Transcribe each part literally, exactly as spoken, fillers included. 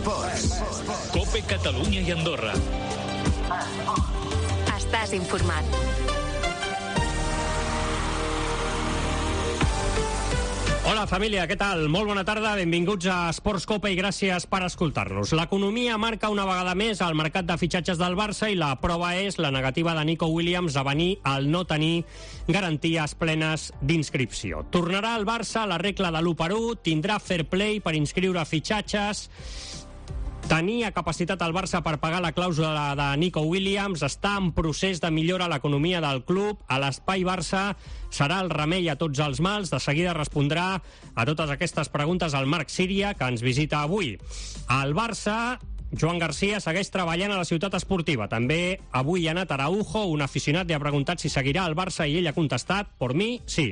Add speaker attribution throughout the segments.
Speaker 1: Esports.
Speaker 2: Cope Catalunya i Andorra.
Speaker 3: Estàs informat.
Speaker 4: Hola família, què tal? Molt bona tarda, benvinguts a Esports Cope i gràcies per escoltar-nos. L'economia marca una vegada més al mercat de fitxatges del Barça i la prova és la negativa de Nico Williams a venir al no tenir garanties plenes d'inscripció. Tornarà al Barça la regla de l'u per u, tindrà fair play per inscriure fitxatges. Tenia capacitat al Barça per pagar la clàusula de Nico Williams, està en procés de millora l'economia del club, a l'Espai Barça serà el remei a tots els mals. De seguida respondrà a totes aquestes preguntes el Marc Síria, que ens visita avui. Al Barça, Joan Garcia segueix treballant a la ciutat esportiva. També avui ha anat Araujo, un aficionat li ha preguntat si seguirà al Barça i ell ha contestat, por mi, sí.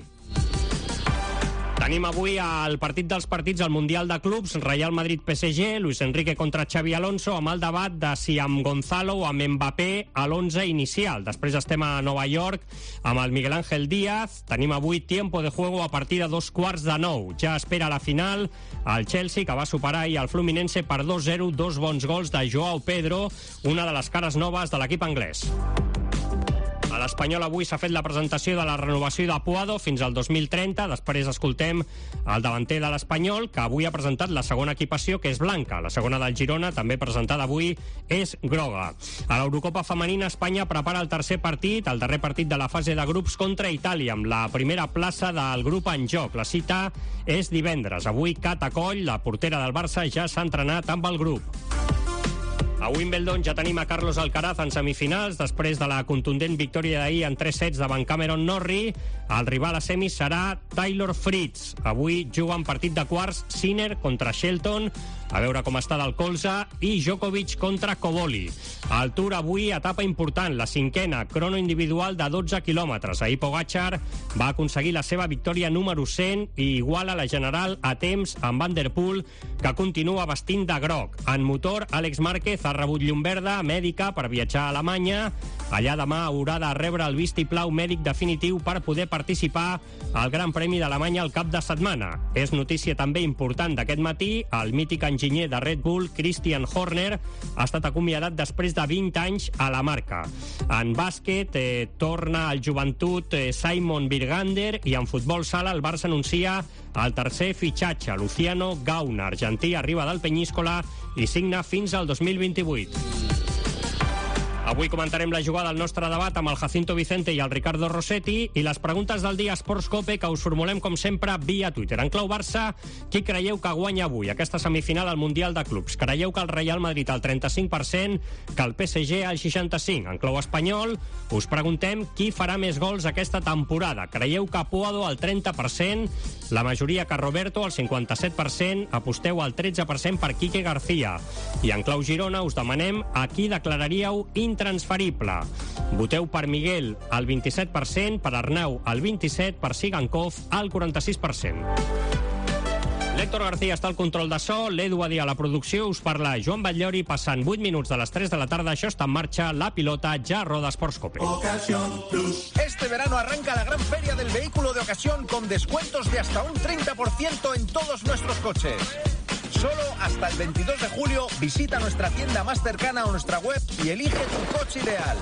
Speaker 4: Tenim avui el partit dels partits al Mundial de Clubs, Real Madrid-P S G, Luis Enrique contra Xavi Alonso, amb el debat de si amb Gonzalo o amb Mbappé a l'onze inicial. Després estem a Nova York amb el Miguel Ángel Díaz. Tenim avui tiempo de juego a partir de dos quarts de nou. Ja espera la final el Chelsea, que va superar ahir el Fluminense per dos zero, dos bons gols de Joao Pedro, una de les cares noves de l'equip anglès. A l'Espanyol avui s'ha fet la presentació de la renovació de Puado fins al dos mil trenta. Després escoltem el davanter de l'Espanyol, que avui ha presentat la segona equipació, que és blanca. La segona del Girona, també presentada avui, és groga. A l'Eurocopa femenina, Espanya prepara el tercer partit, el darrer partit de la fase de grups contra Itàlia, amb la primera plaça del grup en joc. La cita és divendres. Avui Cata Coll, la portera del Barça, ja s'ha entrenat amb el grup. A Wimbledon ja tenim a Carlos Alcaraz en semifinals, després de la contundent victòria d'ahir en tres sets davant Cameron Norrie. El rival a semis serà Taylor Fritz. Avui juguen partit de quarts Sinner contra Shelton, a veure com està del colze, i Djokovic contra Coboli. Al Tour avui, etapa important, la cinquena, crono individual de dotze quilòmetres. Ahir Pogacar va aconseguir la seva victòria número cent i iguala la general a temps amb Van der Poel, que continua vestint de groc. En motor, Àlex Márquez ha rebut llum verda mèdica per viatjar a Alemanya. Allà demà haurà de rebre el vistiplau mèdic definitiu per poder participar al Gran Premi d'Alemanya al cap de setmana. És notícia també important d'aquest matí, el mític enginyer de Red Bull, Christian Horner, ha estat acomiadat després de vint anys a la marca. En bàsquet eh, torna al Joventut eh, Simon Birgander, i en futbol sala el Barça anuncia el tercer fitxatge. Luciano Gauna, argentí, arriba del Peñíscola i signa fins al dos mil vint-i-vuit. Avui comentarem la jugada al nostre debat amb el Jacinto Vicente i el Ricardo Rossetti, i les preguntes del dia Esports Cope, que us formulem com sempre via Twitter. En clau Barça, qui creieu que guanya avui aquesta semifinal al Mundial de Clubs? Creieu que el Real Madrid al trenta-cinc per cent, que el P S G al seixanta-cinc per cent? En clau espanyol, us preguntem qui farà més gols aquesta temporada. Creieu que Puado al trenta per cent, la majoria que Roberto al cinquanta-set per cent, aposteu al tretze per cent per Quique García. I en clau Girona us demanem a qui declararíeu intransferible. Voteu per Miguel al vint-i-set per cent, per Arnau al vint-i-set per cent, per Sigankov al quaranta-sis per cent. L'Héctor García està al control de so, l'Edu Adí a la producció, us parla Joan Batllori, passant vuit minuts de les tres de la tarda. Això està en marxa, la pilota ja roda Esports Cope.
Speaker 5: Este verano arranca la gran feria del vehículo de ocasión con descuentos de hasta un treinta por ciento en todos nuestros coches. Solo hasta el veintidós de julio visita nuestra tienda más cercana o nuestra web y elige tu coche ideal.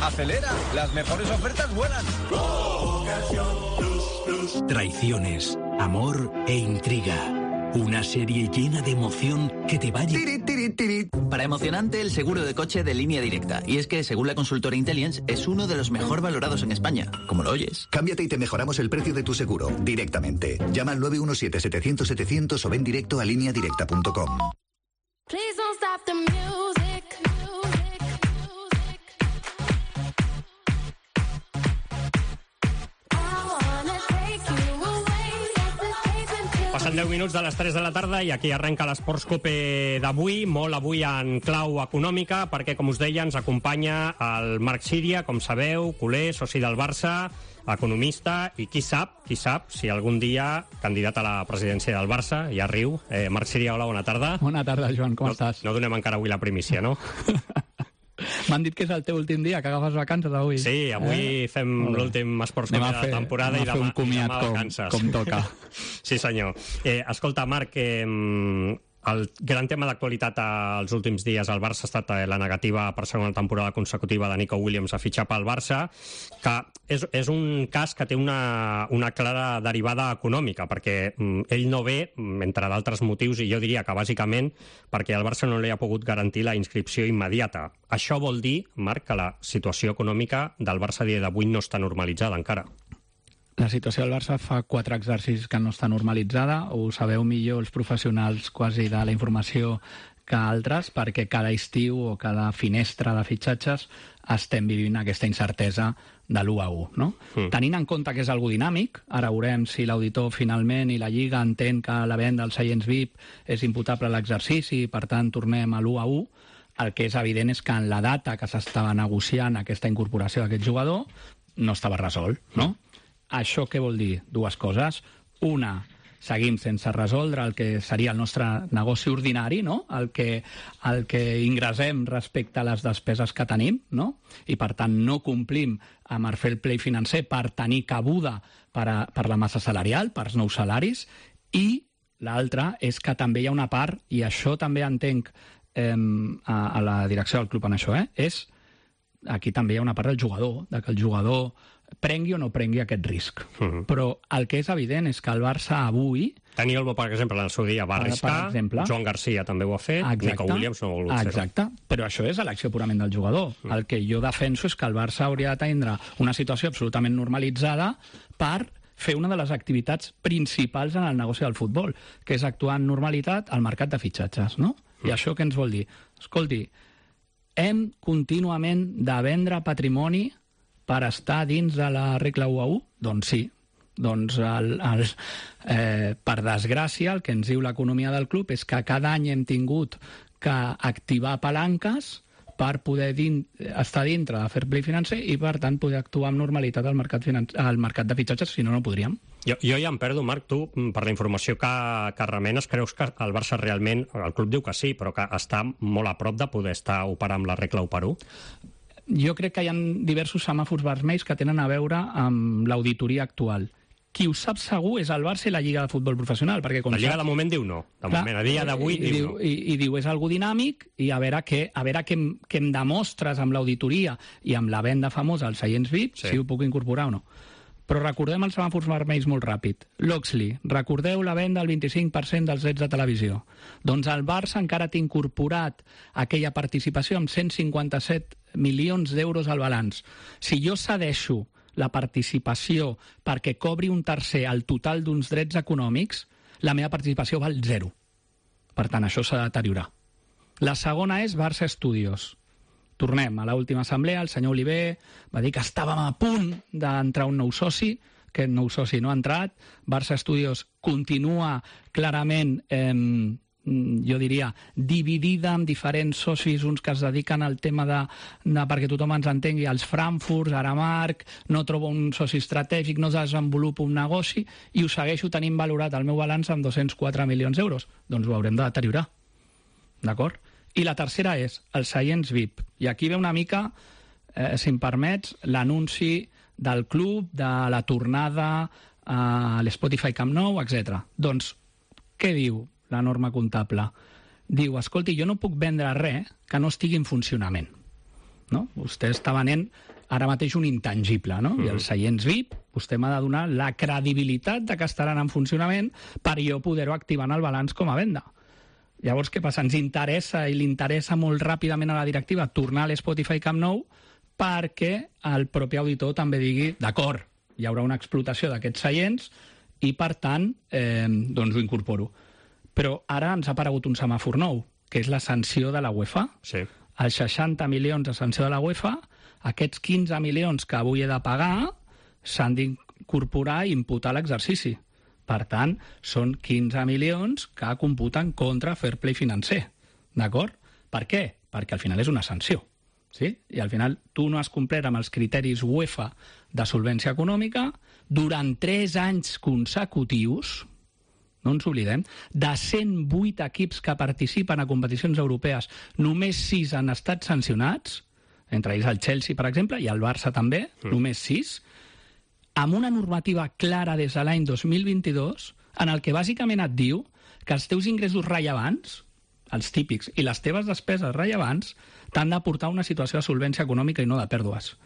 Speaker 5: Acelera, las mejores ofertas vuelan.
Speaker 6: Traiciones, amor e intriga. Una serie llena de emoción que te va a...
Speaker 7: Para emocionante, el seguro de coche de Línea Directa. Y es que, según la consultora Intellience, es uno de los mejor valorados en España. Como lo oyes.
Speaker 8: Cámbiate y te mejoramos el precio de tu seguro directamente. Llama al nueve uno siete, setecientos, setecientos o ven directo a línea directa punto com.
Speaker 4: Passen deu minuts de les tres de la tarda i aquí arrenca l'Esports Cope d'avui, molt avui en clau econòmica, perquè, com us deia, ens acompanya el Marc Síria, com sabeu, culer, soci del Barça, economista, i qui sap, qui sap, si algun dia candidat a la presidència del Barça, ja riu. Eh, Marc Síria, hola, bona tarda.
Speaker 9: Bona tarda, Joan, com
Speaker 4: no,
Speaker 9: estàs?
Speaker 4: No donem encara avui la primícia, no?
Speaker 9: M'han dit que és el teu últim dia, que agafes vacances avui.
Speaker 4: Sí, avui eh? fem l'últim Esports Cope de la temporada i demà,
Speaker 9: un comiat
Speaker 4: demà
Speaker 9: com,
Speaker 4: vacances.
Speaker 9: com toca.
Speaker 4: Sí, senyor. Eh, escolta, Marc, eh, el gran tema d'actualitat als últims dies al Barça ha estat la negativa per segona temporada consecutiva de Nico Williams a fitxar pel Barça, que és, és un cas que té una, una clara derivada econòmica, perquè mm, ell no ve, entre d'altres motius, i jo diria que bàsicament perquè el Barça no li ha pogut garantir la inscripció immediata. Això vol dir, Marc, que la situació econòmica del Barça a dia d'avui no està normalitzada encara.
Speaker 9: La situació del Barça fa quatre exercicis que no està normalitzada, ho sabeu millor els professionals quasi de la informació que altres, perquè cada estiu o cada finestra de fitxatges estem vivint aquesta incertesa de l'u a u. No? Mm. Tenint en compte que és algo dinàmic, ara veurem si l'auditor finalment i la Lliga entén que la venda dels seients V I P és imputable a l'exercici i per tant tornem a l'u a u, el que és evident és que en la data que s'estava negociant aquesta incorporació d'aquest jugador no estava resolt, no? Mm. Això què vol dir? Dues coses. Una, seguim sense resoldre el que seria el nostre negoci ordinari, no? el, que, el que ingressem respecte a les despeses que tenim, no? I per tant no complim amb el fair play financer per tenir cabuda per, a, per la massa salarial, per els nous salaris, i l'altra és que també hi ha una part, i això també entenc eh, a, a la direcció del club en això, eh, és aquí també hi ha una part del jugador, de que el jugador prengui o no prengui aquest risc. Uh-huh. Però el que és evident és que el Barça avui...
Speaker 4: Dani Olmo, per exemple, en el seu dia va arriscar, exemple, Joan Garcia també ho ha fet, exacte, Nico Williams no ha volgut fer-ho.
Speaker 9: Exacte, però això és elecció purament del jugador. Uh-huh. El que jo defenso és que el Barça hauria de tindre una situació absolutament normalitzada per fer una de les activitats principals en el negoci del futbol, que és actuar en normalitat al mercat de fitxatges, no? Uh-huh. I això què ens vol dir? Escolti, hem contínuament de vendre patrimoni per estar dins de la regla u a u? Doncs sí. Doncs, el, el, eh, per desgràcia, el que ens diu l'economia del club és que cada any hem tingut que activar palanques per poder din, estar dintre de fair play financer i, per tant, poder actuar amb normalitat al mercat, financer, al mercat de fitxatges, si no, no podríem.
Speaker 4: Jo, jo ja em perdo, Marc, tu, per la informació que, que remenes, creus que el Barça realment, el club diu que sí, però que està molt a prop de poder estar operant amb la regla u per u?
Speaker 9: Jo crec que hi ha diversos semàfors vermells que tenen a veure amb l'auditoria actual. Qui ho sap segur és el Barça i la Lliga de Futbol Professional. Perquè com
Speaker 4: la Lliga
Speaker 9: saps,
Speaker 4: de moment diu no. De clar, moment, a dia d'avui diu, diu no.
Speaker 9: I, I diu és algo dinàmic i a veure què, a veure què, em, què em demostres amb l'auditoria i amb la venda famosa als seients V I P, sí, si ho puc incorporar o no. Però recordem els semàfors vermells molt ràpid. L'Oxley, recordeu la venda del vint-i-cinc per cent dels drets de televisió. Doncs el Barça encara té incorporat aquella participació amb cent cinquanta-set milions d'euros al balanç. Si jo cedeixo la participació perquè cobri un tercer el total d'uns drets econòmics, la meva participació val zero. Per tant, això s'ha de deteriorar. La segona és Barça Studios. Tornem a l'última assemblea, el senyor Oliver va dir que estàvem a punt d'entrar un nou soci, que el nou soci no ha entrat. Barça Studios continua clarament, eh, jo diria, dividida en diferents socis, uns que es dediquen al tema de, de perquè tothom ens entengui, als Frankfurt, Aramark, no trobo un soci estratègic, no desenvolupo un negoci, i ho segueixo tenint valorat el meu balanç amb dos-cents quatre milions d'euros. Doncs ho haurem de deteriorar. D'acord? I la tercera és els seients V I P. I aquí ve una mica, eh, si em permets, l'anunci del club, de la tornada a l'Spotify Camp Nou, etcètera. Doncs, què diu la norma comptable? Diu, escolti, jo no puc vendre res que no estigui en funcionament. No? Vostè està venent ara mateix un intangible, no? Mm. I els seients V I P, vostè m'ha de donar la credibilitat de que estaran en funcionament per jo poder-ho activar en el balanç com a venda. Llavors, què passa? Ens interessa, i li interessa molt ràpidament a la directiva, tornar a l'Spotify Camp Nou perquè el propi auditor també digui, d'acord, hi haurà una explotació d'aquests seients i, per tant, eh, doncs ho incorporo. Però ara ens ha aparegut un semàfor nou, que és la sanció de la UEFA.
Speaker 4: Sí.
Speaker 9: Els seixanta milions de sanció de la UEFA, aquests quinze milions que avui he de pagar s'han d'incorporar i imputar l'exercici. Per tant, són quinze milions que computen contra fair play financer. D'acord? Per què? Perquè al final és una sanció. Sí? I al final tu no has complert amb els criteris UEFA de solvència econòmica durant tres anys consecutius, no ens oblidem, de cent vuit equips que participen a competicions europees, només sis han estat sancionats, entre ells el Chelsea, per exemple, i el Barça també, mm. només sis, amb una normativa clara des de l'any dos mil vint-i-dos, en el que bàsicament et diu que els teus ingressos rellevants, els típics, i les teves despeses rellevants t'han de portar a una situació de solvència econòmica i no de pèrdues.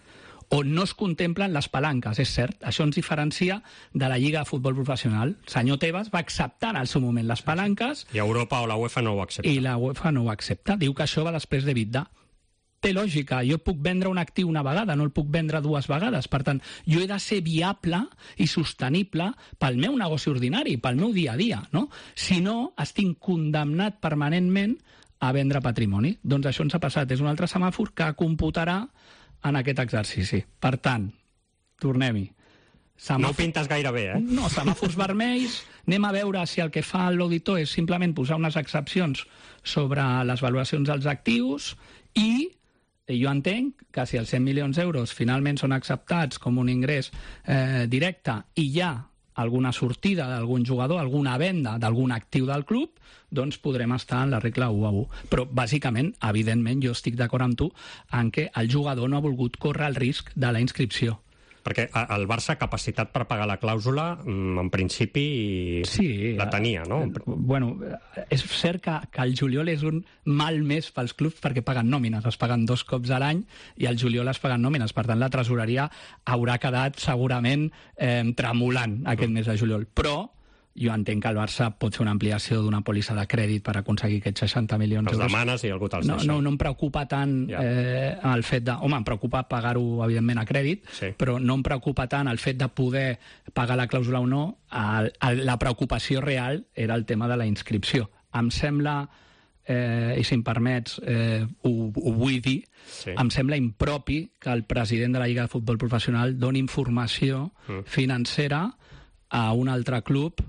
Speaker 9: On no es contemplen les palanques, és cert. Això ens diferencia de la Lliga de Futbol Professional. El senyor Tebas va acceptar en el seu moment les palanques...
Speaker 4: I Europa o la UEFA no ho accepta.
Speaker 9: I la UEFA no ho accepta. Diu que això va després d'EBITDA. Té lògica. Jo puc vendre un actiu una vegada, no el puc vendre dues vegades. Per tant, jo he de ser viable i sostenible pel meu negoci ordinari, pel meu dia a dia, no? Si no, estic condemnat permanentment a vendre patrimoni. Doncs això ens ha passat. És un altre semàfor que computarà en aquest exercici. Per tant, tornem-hi. Semàfor...
Speaker 4: No ho pintes gaire bé, eh?
Speaker 9: No, semàfors vermells. Anem a veure si el que fa l'auditor és simplement posar unes excepcions sobre les valoracions dels actius i jo entenc que si els cent milions d'euros finalment són acceptats com un ingrés eh, directe i hi ha alguna sortida d'algun jugador, alguna venda d'algun actiu del club, doncs podrem estar en la regla u a u. Però, bàsicament, evidentment, jo estic d'acord amb tu en què el jugador no ha volgut córrer el risc de la inscripció.
Speaker 4: Perquè el Barça, capacitat per pagar la clàusula, en principi
Speaker 9: sí,
Speaker 4: la tenia, no?
Speaker 9: Bueno, és cert que, que el juliol és un mal mes pels clubs perquè paguen nòmines, es paguen dos cops a l'any i al juliol es paguen nòmines. Per tant, la tresoreria haurà quedat segurament eh, tremolant aquest mes de juliol. Però jo entenc que el Barça pot fer una ampliació d'una pòlissa de crèdit per aconseguir aquests seixanta milions d'euros.
Speaker 4: Els demanes i algú te'ls
Speaker 9: no,
Speaker 4: deixa.
Speaker 9: No, no em preocupa tant ja. eh, el fet de... Home, em preocupa pagar-ho, evidentment, a crèdit, sí. Però no em preocupa tant el fet de poder pagar la clàusula o no. El, el, la preocupació real era el tema de la inscripció. Em sembla, eh, i si em permets, eh, ho, ho vull dir, sí. Em sembla impropi que el president de la Lliga de Futbol Professional doni informació mm. financera a un altre club,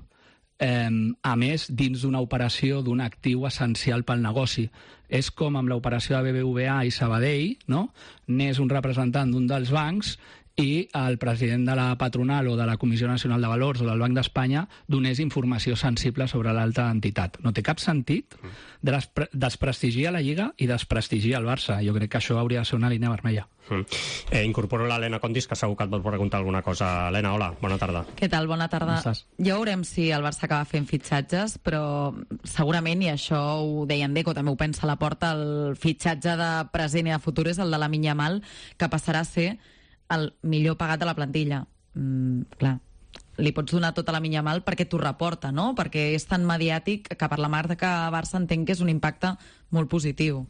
Speaker 9: Eh, a més, dins d'una operació d'un actiu essencial pel negoci. És com amb l'operació de B B V A i Sabadell, no? N'és un representant d'un dels bancs i el president de la patronal o de la Comissió Nacional de Valors o del Banc d'Espanya donés informació sensible sobre l'altra entitat. No té cap sentit despre desprestigiar la Lliga i desprestigiar el Barça. Jo crec que això hauria de ser una línia vermella.
Speaker 4: Mm. Eh, incorporo l'Helena Condis, que segur que et vol preguntar alguna cosa. Helena, hola, bona tarda.
Speaker 1: Què tal? Bona tarda. Ja veurem si el Barça acaba fent fitxatges, però segurament, i això ho deia en Deco, també ho pensa a la porta, el fitxatge de present i de futur és el de Lamine Yamal, que passarà a ser el millor pagat de la plantilla. Mm, clar, li pots donar tota la minya mal perquè t'ho reporta, no? Perquè és tan mediàtic que per la marca Barça entenc que és un impacte molt positiu.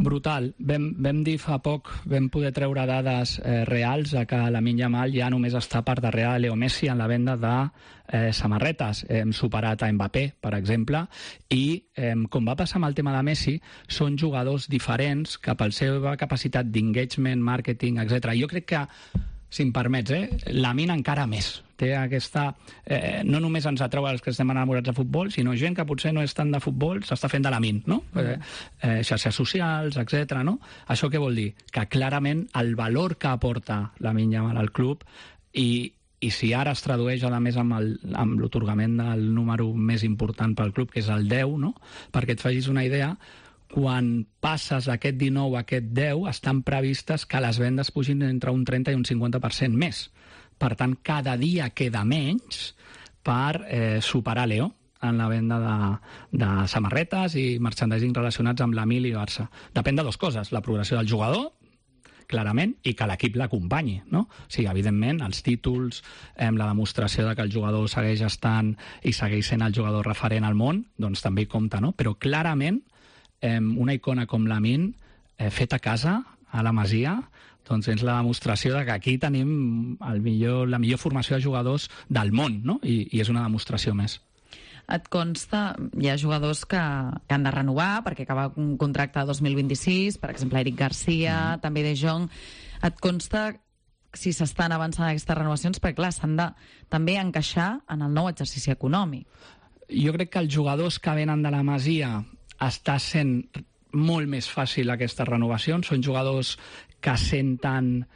Speaker 9: Brutal. Vam, vam dir fa poc, vam poder treure dades eh, reals de que Lamine Yamal ja només està per darrere de Leo Messi en la venda de eh, samarretes. Hem superat a Mbappé, per exemple, i eh, com va passar amb el tema de Messi, són jugadors diferents que per la seva capacitat d'engagement, marketing, etcètera. Jo crec que, si em permets, eh, Lamine encara més. Té aquesta... Eh, no només ens atreu els que estem enamorats de futbol, sinó gent que potser no és tant de futbol, s'està fent de Lamine, no? Mm. Eh, eh, xarxes socials, etcètera, no? Això què vol dir? Que clarament el valor que aporta Lamine Yamal al club i, i si ara es tradueix a més amb el, amb l'otorgament del número més important pel club, que és el deu, no? Perquè et facis una idea, quan passes d'aquest dinou a aquest deu, estan previstes que les vendes pugin entre un trenta i un cinquanta per cent més. Per tant, cada dia queda menys per eh, superar Leo en la venda de, de samarretes i merchandising relacionats amb l'Amil i Barça. Depèn de dues coses, la progressió del jugador, clarament, i que l'equip l'acompanyi, no? O sigui, evidentment, els títols, eh, la demostració de que el jugador segueix estant i segueix sent el jugador referent al món, doncs també hi compta, no? Però clarament, eh, una icona com Lamine, eh, feta a casa, a la Masia, doncs és la demostració de que aquí tenim el millor, la millor formació de jugadors del món, no? I, i és una demostració més.
Speaker 1: Et consta, hi ha jugadors que, que han de renovar perquè acaba un contracte de dos mil vint-i-sis, per exemple Eric Garcia, mm. també De Jong. Et consta si s'estan avançant aquestes renovacions, perquè clar, s'han de també encaixar en el nou exercici econòmic.
Speaker 9: Jo crec que els jugadors que venen de la Masia està sent molt més fàcil aquestes renovacions. Són jugadors que senten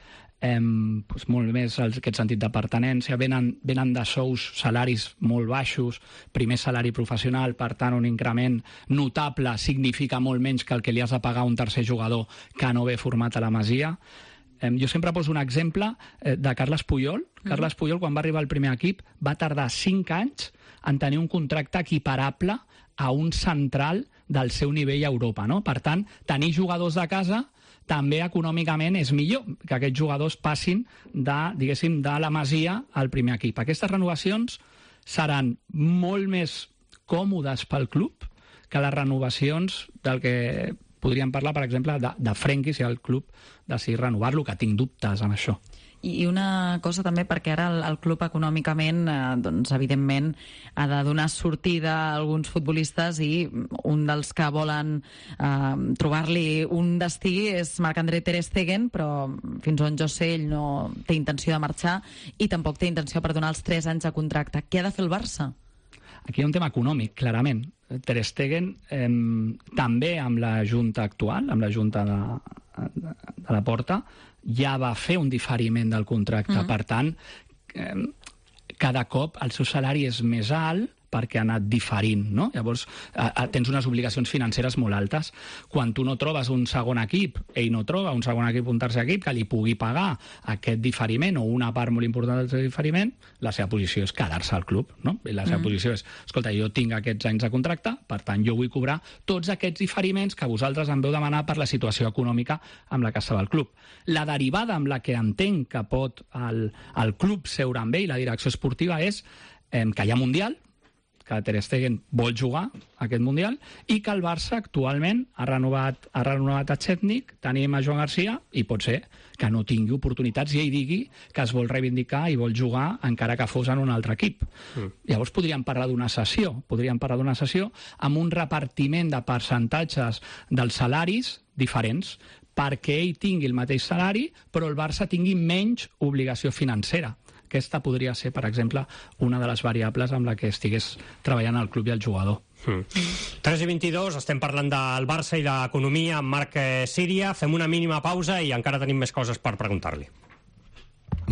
Speaker 9: eh, doncs molt més aquest sentit de pertinença, venen, venen de sous, salaris molt baixos, primer salari professional, per tant un increment notable significa molt menys que el que li has de pagar a un tercer jugador que no ve format a la Masia. Eh, jo sempre poso un exemple eh, de Carles Puyol. Mm. Carles Puyol, quan va arribar al primer equip, va tardar cinc anys en tenir un contracte equiparable a un central del seu nivell a Europa, no? Per tant, tenir jugadors de casa també econòmicament és millor que aquests jugadors passin de, diguéssim, de la Masia al primer equip. Aquestes renovacions seran molt més còmodes pel club que les renovacions del que podríem parlar, per exemple, de, de Frenkie, si el club decidís renovar-lo, que tinc dubtes amb això.
Speaker 1: I una cosa també, perquè ara el, el club econòmicament, eh, doncs, evidentment, ha de donar sortida a alguns futbolistes i un dels que volen eh, trobar-li un destí és Marc-André Ter Stegen, però fins on jo sé ell no té intenció de marxar i tampoc té intenció per donar els tres anys de contracte. Què ha de fer el Barça?
Speaker 9: Aquí hi ha un tema econòmic, clarament. Ter Stegen, eh, també amb la junta actual, amb la junta de, de, de la Porta, ja va fer un diferiment del contracte. Mm. Per tant, eh, cada cop el seu salari és més alt perquè ha anat diferint, no? Llavors, eh, tens unes obligacions financeres molt altes. Quan tu no trobes un segon equip, ell no troba un segon equip, un tercer equip, que li pugui pagar aquest diferiment o una part molt important del seu diferiment, la seva posició és quedar-se al club, no? I la seva mm. posició és, escolta, jo tinc aquests anys de contracte, per tant, jo vull cobrar tots aquests diferiments que vosaltres em veu demanar per la situació econòmica amb la que estava el club. La derivada amb la que entenc que pot el, el club seure amb ell, la direcció esportiva, és eh, que hi ha Mundial, que Ter Stegen vol jugar aquest Mundial i que el Barça actualment ha renovat, ha renovat a Chetnik, tenim a Joan Garcia i pot ser que no tingui oportunitats i ell digui que es vol reivindicar i vol jugar encara que fos en un altre equip. Mm. Llavors podríem parlar d'una sessió, podríem parlar d'una sessió amb un repartiment de percentatges dels salaris diferents perquè ell tingui el mateix salari però el Barça tingui menys obligació financera. Aquesta podria ser, per exemple, una de les variables amb la que estigués treballant el club i el jugador.
Speaker 4: Mm. tres i vint-i-dos, estem parlant del Barça i l'economia amb Marc Síria. Fem una mínima pausa i encara tenim més coses per preguntar-li.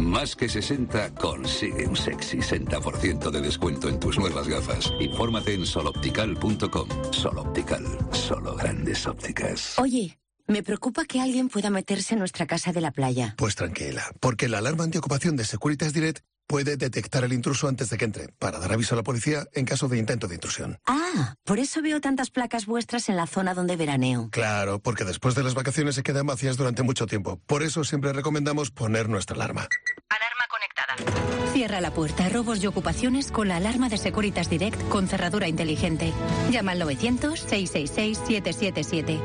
Speaker 3: Más que sesenta consigue un sexy sesenta por ciento de descuento en tus nuevas gafas. Infórmate en soloptical punto com. Soloptical, solo grandes ópticas.
Speaker 10: Oye, me preocupa que alguien pueda meterse en nuestra casa de la playa.
Speaker 11: Pues tranquila, porque la alarma antiocupación de Securitas Direct puede detectar el intruso antes de que entre, para dar aviso a la policía en caso de intento de intrusión.
Speaker 10: Ah, por eso veo tantas placas vuestras en la zona donde veraneo.
Speaker 11: Claro, porque después de las vacaciones se quedan vacías durante mucho tiempo. Por eso siempre recomendamos poner nuestra alarma.
Speaker 10: Alarma conectada. Cierra la puerta a robos y ocupaciones con la alarma de Securitas Direct con cerradura inteligente. Llama al novecientos, seiscientos sesenta y seis, setecientos setenta y siete.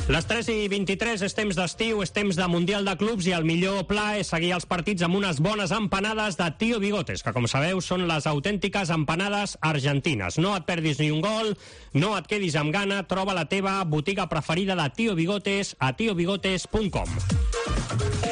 Speaker 4: Les tres i vint-i-tres és temps d'estiu, és temps de Mundial de Clubs i el millor pla és seguir els partits amb unes bones empanades de Tío Bigotes, que com sabeu són les autèntiques empanades argentines. No et perdis ni un gol, no et quedis amb gana, troba la teva botiga preferida de Tío Bigotes a tio bigotes punt com.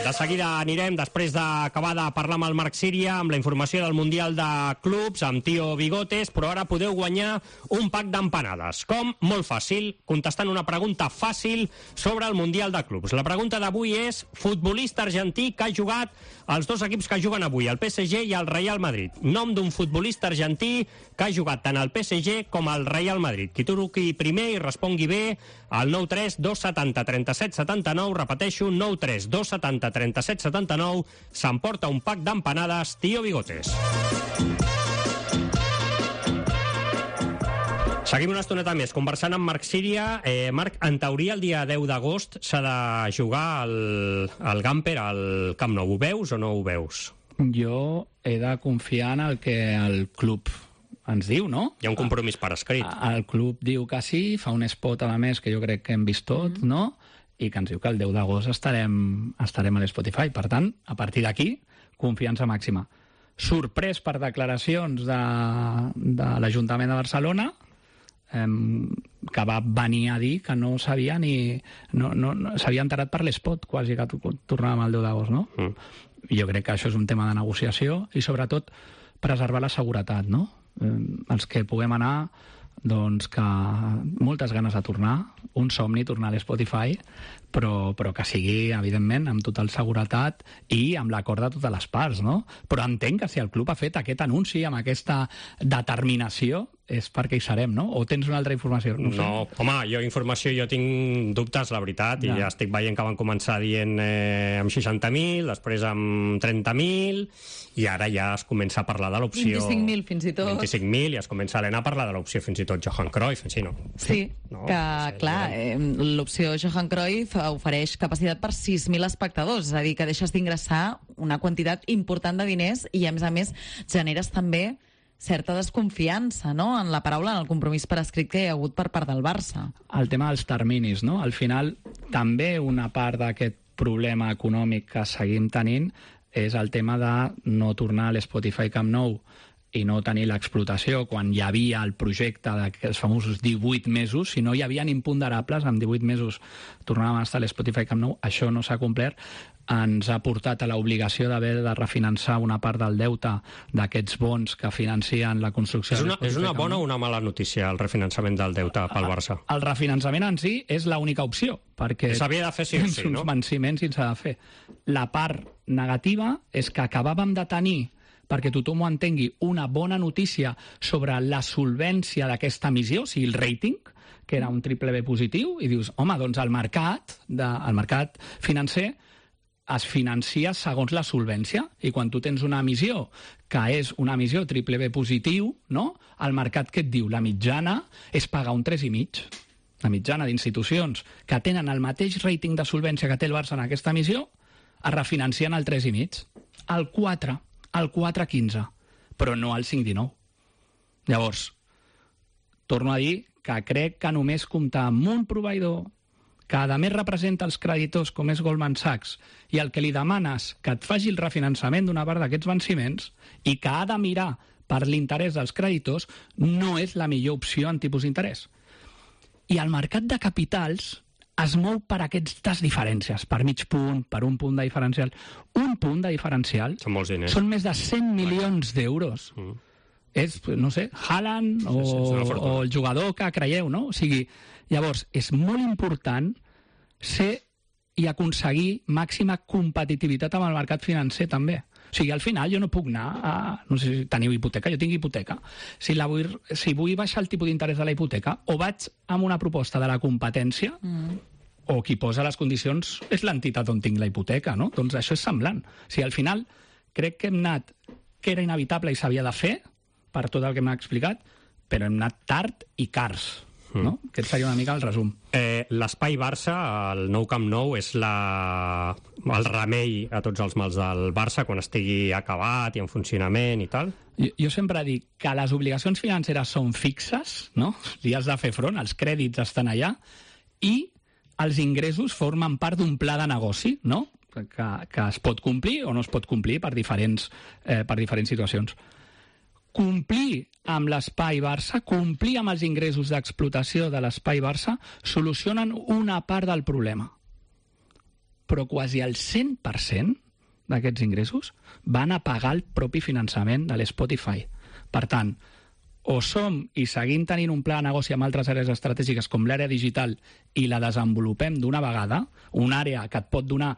Speaker 4: De seguida anirem, després d'acabar de parlar amb el Marc Síria, amb la informació del Mundial de Clubs, amb Tío Bigotes, però ara podeu guanyar un pack d'empanades. Com? Molt fàcil, contestant una pregunta fàcil sobre el Mundial de Clubs. La pregunta d'avui és futbolista argentí que ha jugat als dos equips que juguen avui, el P S G i el Real Madrid. Nom d'un futbolista argentí que ha jugat tant al P S G com al Real Madrid. Qui truqui primer i respongui bé al nou tres dos setanta trenta-set setanta-nou, repeteixo, nou tres dos setanta trenta-set setanta-nou, s'emporta un pack d'empanades Tío Bigotes. Seguim una estoneta més, conversant amb Marc Síria. Eh, Marc, en teoria el dia deu d'agost s'ha de jugar al, al Gamper al Camp Nou. Ho veus o no ho veus?
Speaker 9: Jo he de confiar en el que el club ens diu, no?
Speaker 4: Hi ha un compromís per escrit.
Speaker 9: El club diu que sí, fa un spot a la més que jo crec que hem vist tot, mm. no? I que ens diu que el deu d'agost estarem, estarem a l'Spotify. Per tant, a partir d'aquí, confiança màxima. Sorprès per declaracions de, de l'Ajuntament de Barcelona, que va venir a dir que no sabia ni... No, no, no, s'havia enterat per l'espot, quasi que tornàvem al deu d'agost, no? Mm. Jo crec que això és un tema de negociació i, sobretot, preservar la seguretat, no? Eh, els que puguem anar, doncs que moltes ganes de tornar, un somni tornar a l'Spotify, però, però que sigui, evidentment, amb total seguretat i amb l'acord de totes les parts, no? Però entenc que si el club ha fet aquest anunci amb aquesta determinació és perquè hi serem, no? O tens una altra informació?
Speaker 4: No, no home, jo informació, jo tinc dubtes, la veritat, ja. i ja estic veient que van començar dient eh, amb seixanta mil, després amb trenta mil, i ara ja es comença a parlar de l'opció...
Speaker 1: vint-i-cinc mil, fins i tot.
Speaker 4: vint-i-cinc mil, i es comença a a parlar de l'opció fins i tot Johan Cruyff, en si, no?
Speaker 1: Sí,
Speaker 4: no?
Speaker 1: que, no sé, clar, eh, l'opció Johan Cruyff ofereix capacitat per sis mil espectadors, és a dir, que deixes d'ingressar una quantitat important de diners i, a més a més, generes també certa desconfiança, no?, en la paraula, en el compromís per escrit que hi ha hagut per part del Barça.
Speaker 9: El tema dels terminis, no? Al final, també una part d'aquest problema econòmic que seguim tenint és el tema de no tornar a l'Spotify Camp Nou i no tenir l'explotació quan hi havia el projecte dels famosos divuit mesos. Si no hi havia imponderables, en divuit mesos tornàvem a estar a l'Spotify Camp Nou. Això no s'ha complert. Ens ha portat a l'obligació d'haver de refinançar una part del deute d'aquests bons que financien la construcció.
Speaker 4: És una, és una bona o una mala notícia el refinançament del deute pel Barça?
Speaker 9: El refinançament en si és l'única opció, perquè
Speaker 4: s'havia de fer sí o sí, no?
Speaker 9: uns venciments i s'ha de fer. La part negativa és que acabàvem de tenir, perquè tothom ho entengui, una bona notícia sobre la solvència d'aquesta emissió, o sigui, el rating, que era un triple B positiu, i dius, home, doncs el mercat, de, el mercat financer es financia segons la solvència, i quan tu tens una emissió que és una emissió triple B positiu, no? El mercat què et diu? La mitjana és pagar un tres i mig. La mitjana d'institucions que tenen el mateix rating de solvència que té el Barça en aquesta emissió es refinancien al tres i mig, al quatre, al quatre quinze, però no al cinc dinou. Llavors, torno a dir que crec que només comptar amb un proveïdor que a més representa els creditors com és Goldman Sachs i el que li demanes que et faci el refinançament d'una part d'aquests venciments i que ha de mirar per l'interès dels creditors no és la millor opció en tipus d'interès. I el mercat de capitals es mou per aquestes diferències, per mig punt, per un punt de diferencial. Un punt de diferencial
Speaker 4: són molts diners.
Speaker 9: Són més de cent milions d'euros. Mm. És, no sé, Haaland o, sí, sí, o el jugador que creieu, no? O sigui, llavors, és molt important ser i aconseguir màxima competitivitat amb el mercat financer, també. O sigui, al final jo no puc anar a... No sé si teniu hipoteca, jo tinc hipoteca. Si, la vull, si vull baixar el tipus d'interès de la hipoteca, o vaig amb una proposta de la competència, mm. o qui posa les condicions és l'entitat on tinc la hipoteca, no? Doncs això és semblant. O sigui, al final, crec que hem anat, que era inevitable i s'havia de fer, per tot el que m'ha explicat, però hem anat tard i cars. No? Mm. Aquest seria una mica el resum.
Speaker 4: Eh, L'espai Barça, el nou Camp Nou, és la... el remei a tots els mals del Barça quan estigui acabat i en funcionament i tal?
Speaker 9: Jo, jo sempre dic que les obligacions financeres són fixes, no? Li has de fer front, els crèdits estan allà, i els ingressos formen part d'un pla de negoci, no? Que, que es pot complir o no es pot complir per diferents, eh, per diferents situacions. Complir amb l'espai Barça, complir amb els ingressos d'explotació de l'espai Barça, solucionen una part del problema. Però quasi el cent per cent d'aquests ingressos van a pagar el propi finançament de l'Spotify. Per tant, o som i seguim tenint un pla de negoci amb altres àrees estratègiques com l'àrea digital i la desenvolupem d'una vegada, una àrea que et pot donar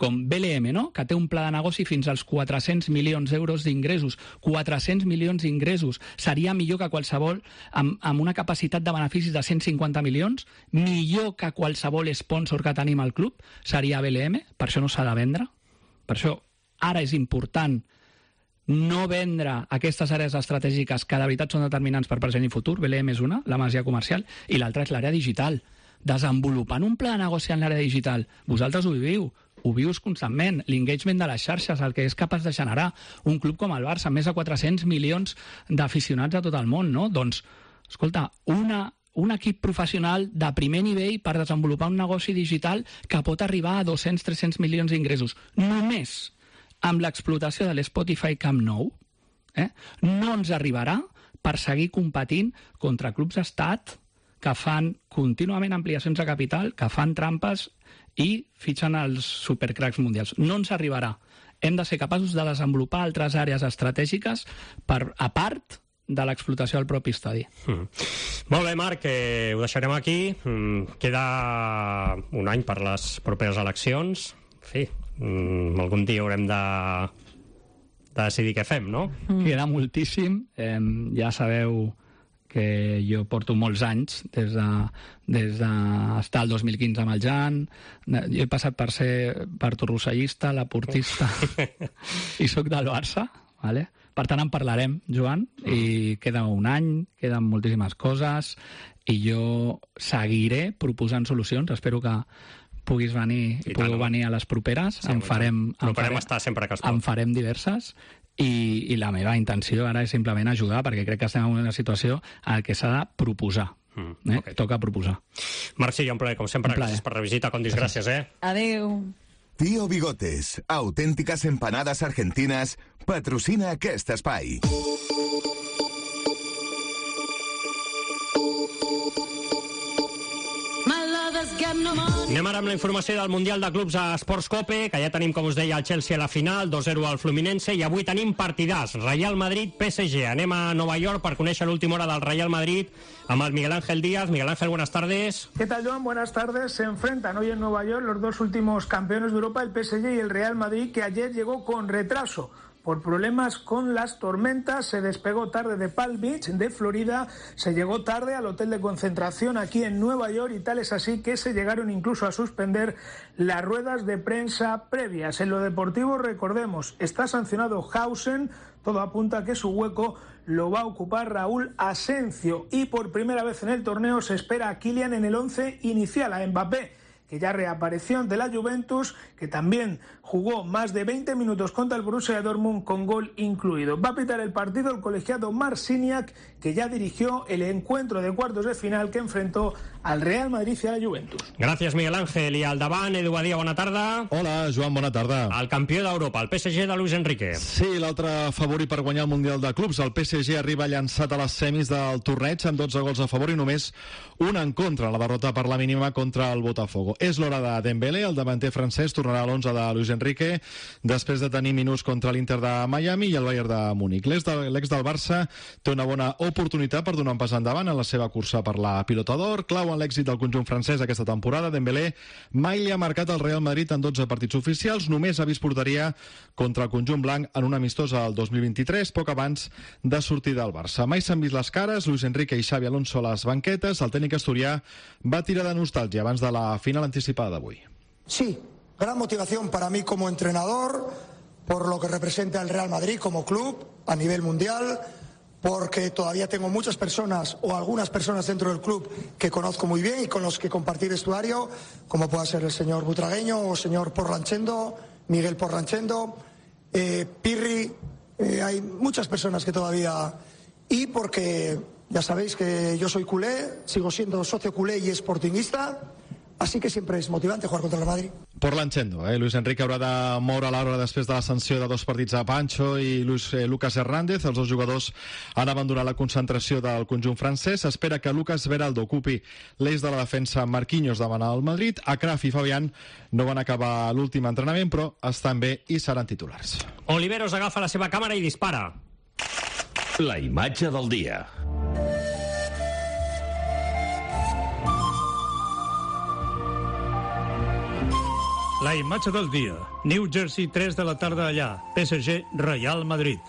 Speaker 9: com B L M, no? Que té un pla de negoci fins als quatre-cents milions d'euros d'ingressos. quatre-cents milions d'ingressos. Seria millor que qualsevol, amb, amb una capacitat de beneficis de cent cinquanta milions, millor que qualsevol sponsor que tenim al club, seria B L M. Per això no s'ha de vendre. Per això ara és important no vendre aquestes àrees estratègiques que de veritat són determinants per present i futur. B L M és una, la masia comercial, i l'altra és l'àrea digital. Desenvolupant un pla de negoci en l'àrea digital. Vosaltres ho viviu. Ho vius constantment, l'engagement de les xarxes, el que és capaç de generar un club com el Barça, amb més de quatre-cents milions d'aficionats a tot el món, no? Doncs, escolta, una, un equip professional de primer nivell per desenvolupar un negoci digital que pot arribar a dos-cents a tres-cents milions d'ingressos. Només amb l'explotació de l'Spotify Camp Nou, eh, no ens arribarà per seguir competint contra clubs d'estat que fan contínuament ampliacions de capital, que fan trampes i fitxen els supercracs mundials. No ens arribarà. Hem de ser capaços de desenvolupar altres àrees estratègiques per, a part de l'explotació del propi estadi.
Speaker 4: Mm. Molt bé, Marc, eh, ho deixarem aquí. Mm, queda un any per les properes eleccions. En fi, mm, algun dia haurem de, de decidir què fem, no?
Speaker 9: Mm. Queda moltíssim. Eh, ja sabeu que jo porto molts anys, des de, des d'estar el dos mil quinze amb el Jan. Jo he passat per ser partorrossellista, laportista, i sóc del Barça, vale? Per tant, en parlarem, Joan, i queda un any, queden moltíssimes coses, i jo seguiré proposant solucions. Espero que puguis venir, I pugueu venir a les properes. Sí, en farem, en farem,
Speaker 4: estar sempre que es pot.
Speaker 9: En farem diverses, i, i la meva intenció ara és simplement ajudar, perquè crec que estem en una situació en què s'ha de proposar. Mm, eh? okay. Toca proposar.
Speaker 4: Marc, sí, un plaer, com sempre. Gràcies per la visita, Condis, gràcies, eh?
Speaker 1: Adéu.
Speaker 12: Tío Bigotes, auténticas empanadas argentinas, patrocina aquest espai.
Speaker 4: Anem ara amb la informació del Mundial de Clubs a Esports Cope, que ja tenim, com us deia, el Chelsea a la final, dos zero al Fluminense, i avui tenim partidars, Real Madrid P S G. Anem a Nova York per conèixer l'última hora del Real Madrid amb el Miguel Ángel Díaz. Miguel Ángel, buenas tardes.
Speaker 13: ¿Qué tal, Joan? Buenas tardes. Se enfrentan hoy en Nueva York los dos últimos campeones de Europa, el P S G y el Real Madrid, que ayer llegó con retraso. Por problemas con las tormentas, se despegó tarde de Palm Beach, de Florida, se llegó tarde al hotel de concentración aquí en Nueva York, y tal es así que se llegaron incluso a suspender las ruedas de prensa previas. En lo deportivo, recordemos, está sancionado Hausen, todo apunta a que su hueco lo va a ocupar Raúl Asencio, y por primera vez en el torneo se espera a Kylian en el once inicial, a Mbappé, que ya reapareció ante la Juventus, que también jugó más de veinte minutos contra el Borussia Dortmund con gol incluido. Va a pitar el partido el colegiado Marciniak, que ya dirigió el encuentro de cuartos de final que enfrentó al Real Madrid y a la Juventus.
Speaker 4: Gràcies, Miguel Ángel. I al davant, Edu Badia, bona tarda.
Speaker 14: Hola, Joan, bona tarda.
Speaker 4: El campió d'Europa, el P S G de Luis Enrique.
Speaker 14: Sí, l'altre favorit per guanyar el Mundial de Clubs. El P S G arriba llançat a les semis del torneig amb dotze gols a favor i només un en contra, la derrota per la mínima contra el Botafogo. És l'hora de Dembélé, el davanter francès tornarà a l'onze de Luis Enrique després de tenir minuts contra l'Inter de Miami i el Bayern de Múnich. L'ex de, l'ex del Barça té una bona oportunitat per donar un pas endavant en la seva cursa per la Pilota d'Or. Clau en l'èxit del conjunt francès aquesta temporada. Dembélé mai li ha marcat el Real Madrid en dotze partits oficials, només ha vist porteria contra el conjunt blanc en un amistós al dos mil vint-i-tres, poc abans de sortir del Barça. Mai s'han vist les cares, Luis Enrique i Xabi Alonso a les banquetes. El tècnic asturià va tirar de nostàlgia abans de la final anticipada d'avui.
Speaker 15: Sí, gran motivación para mí como entrenador, por lo que representa el Real Madrid como club a nivel mundial, porque todavía tengo muchas personas o algunas personas dentro del club que conozco muy bien y con los que compartir vestuario, como pueda ser el señor Butragueño o el señor Porlanchendo, Miguel Porlanchendo, eh, Pirri, eh, hay muchas personas que todavía... Y porque ya sabéis que yo soy culé, sigo siendo socio culé y sportingista, así que siempre es motivante jugar contra el Madrid.
Speaker 14: Porlanchendo, eh? Luis Enrique haurà de moure l'hora després de la sanció de dos partits a Pancho i Luis, eh, Lucas Hernández. Els dos jugadors han abandonat la concentració del conjunt francès. S'espera que Lucas Beraldo ocupi l'eix de la defensa. Marquinhos demana al Madrid. Akraf i Fabián no van acabar l'últim entrenament, però estan bé i seran titulars.
Speaker 4: Oliveros agafa la seva càmera i dispara.
Speaker 2: La imatge del dia.
Speaker 16: La imatge del dia. New Jersey, tres de la tarda allà. P S G, Real Madrid.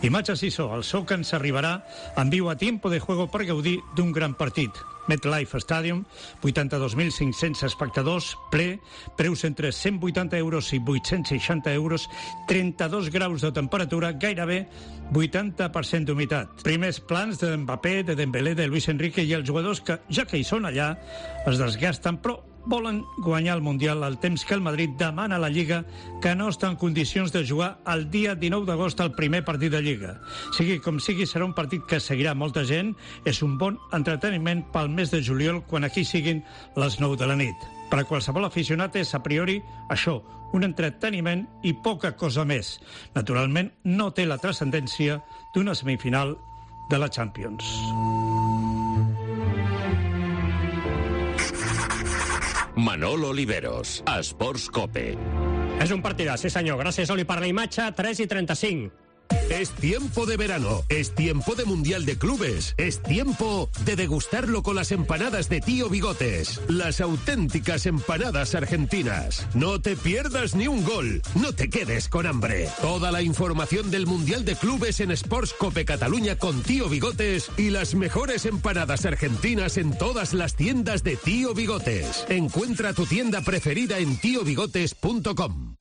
Speaker 16: Imatge Sissó. El so que ens arribarà en viu a tiempo de juego per gaudir d'un gran partit. MetLife Stadium, vuitanta-dos mil cinc-cents espectadors, ple, preus entre cent vuitanta euros i vuit-cents seixanta euros, trenta-dos graus de temperatura, gairebé vuitanta per cent d'humitat. Primers plans de Mbappé, de Dembélé, de Luis Enrique i els jugadors que, ja que hi són allà, es desgasten, però volen guanyar el Mundial al temps que el Madrid demana a la Lliga que no està en condicions de jugar el dia dinou d'agost al primer partit de Lliga. Sigui com sigui, serà un partit que seguirà molta gent. És un bon entreteniment pel mes de juliol, quan aquí siguin les nou de la nit. Per a qualsevol aficionat és, a priori, això, un entreteniment i poca cosa més. Naturalment, no té la transcendència d'una semifinal de la Champions.
Speaker 2: Manol Oliveros, Esports Cope.
Speaker 4: És un partidàs, sí senyor. Gràcies, Oli, per la imatge. tres i trenta-cinc.
Speaker 17: Es tiempo de verano, es tiempo de Mundial de Clubes, es tiempo de degustarlo con las empanadas de Tío Bigotes, las auténticas empanadas argentinas. No te pierdas ni un gol, no te quedes con hambre. Toda la información del Mundial de Clubes en Sportscope Cataluña con Tío Bigotes y las mejores empanadas argentinas en todas las tiendas de Tío Bigotes. Encuentra tu tienda preferida en tío bigotes punto com.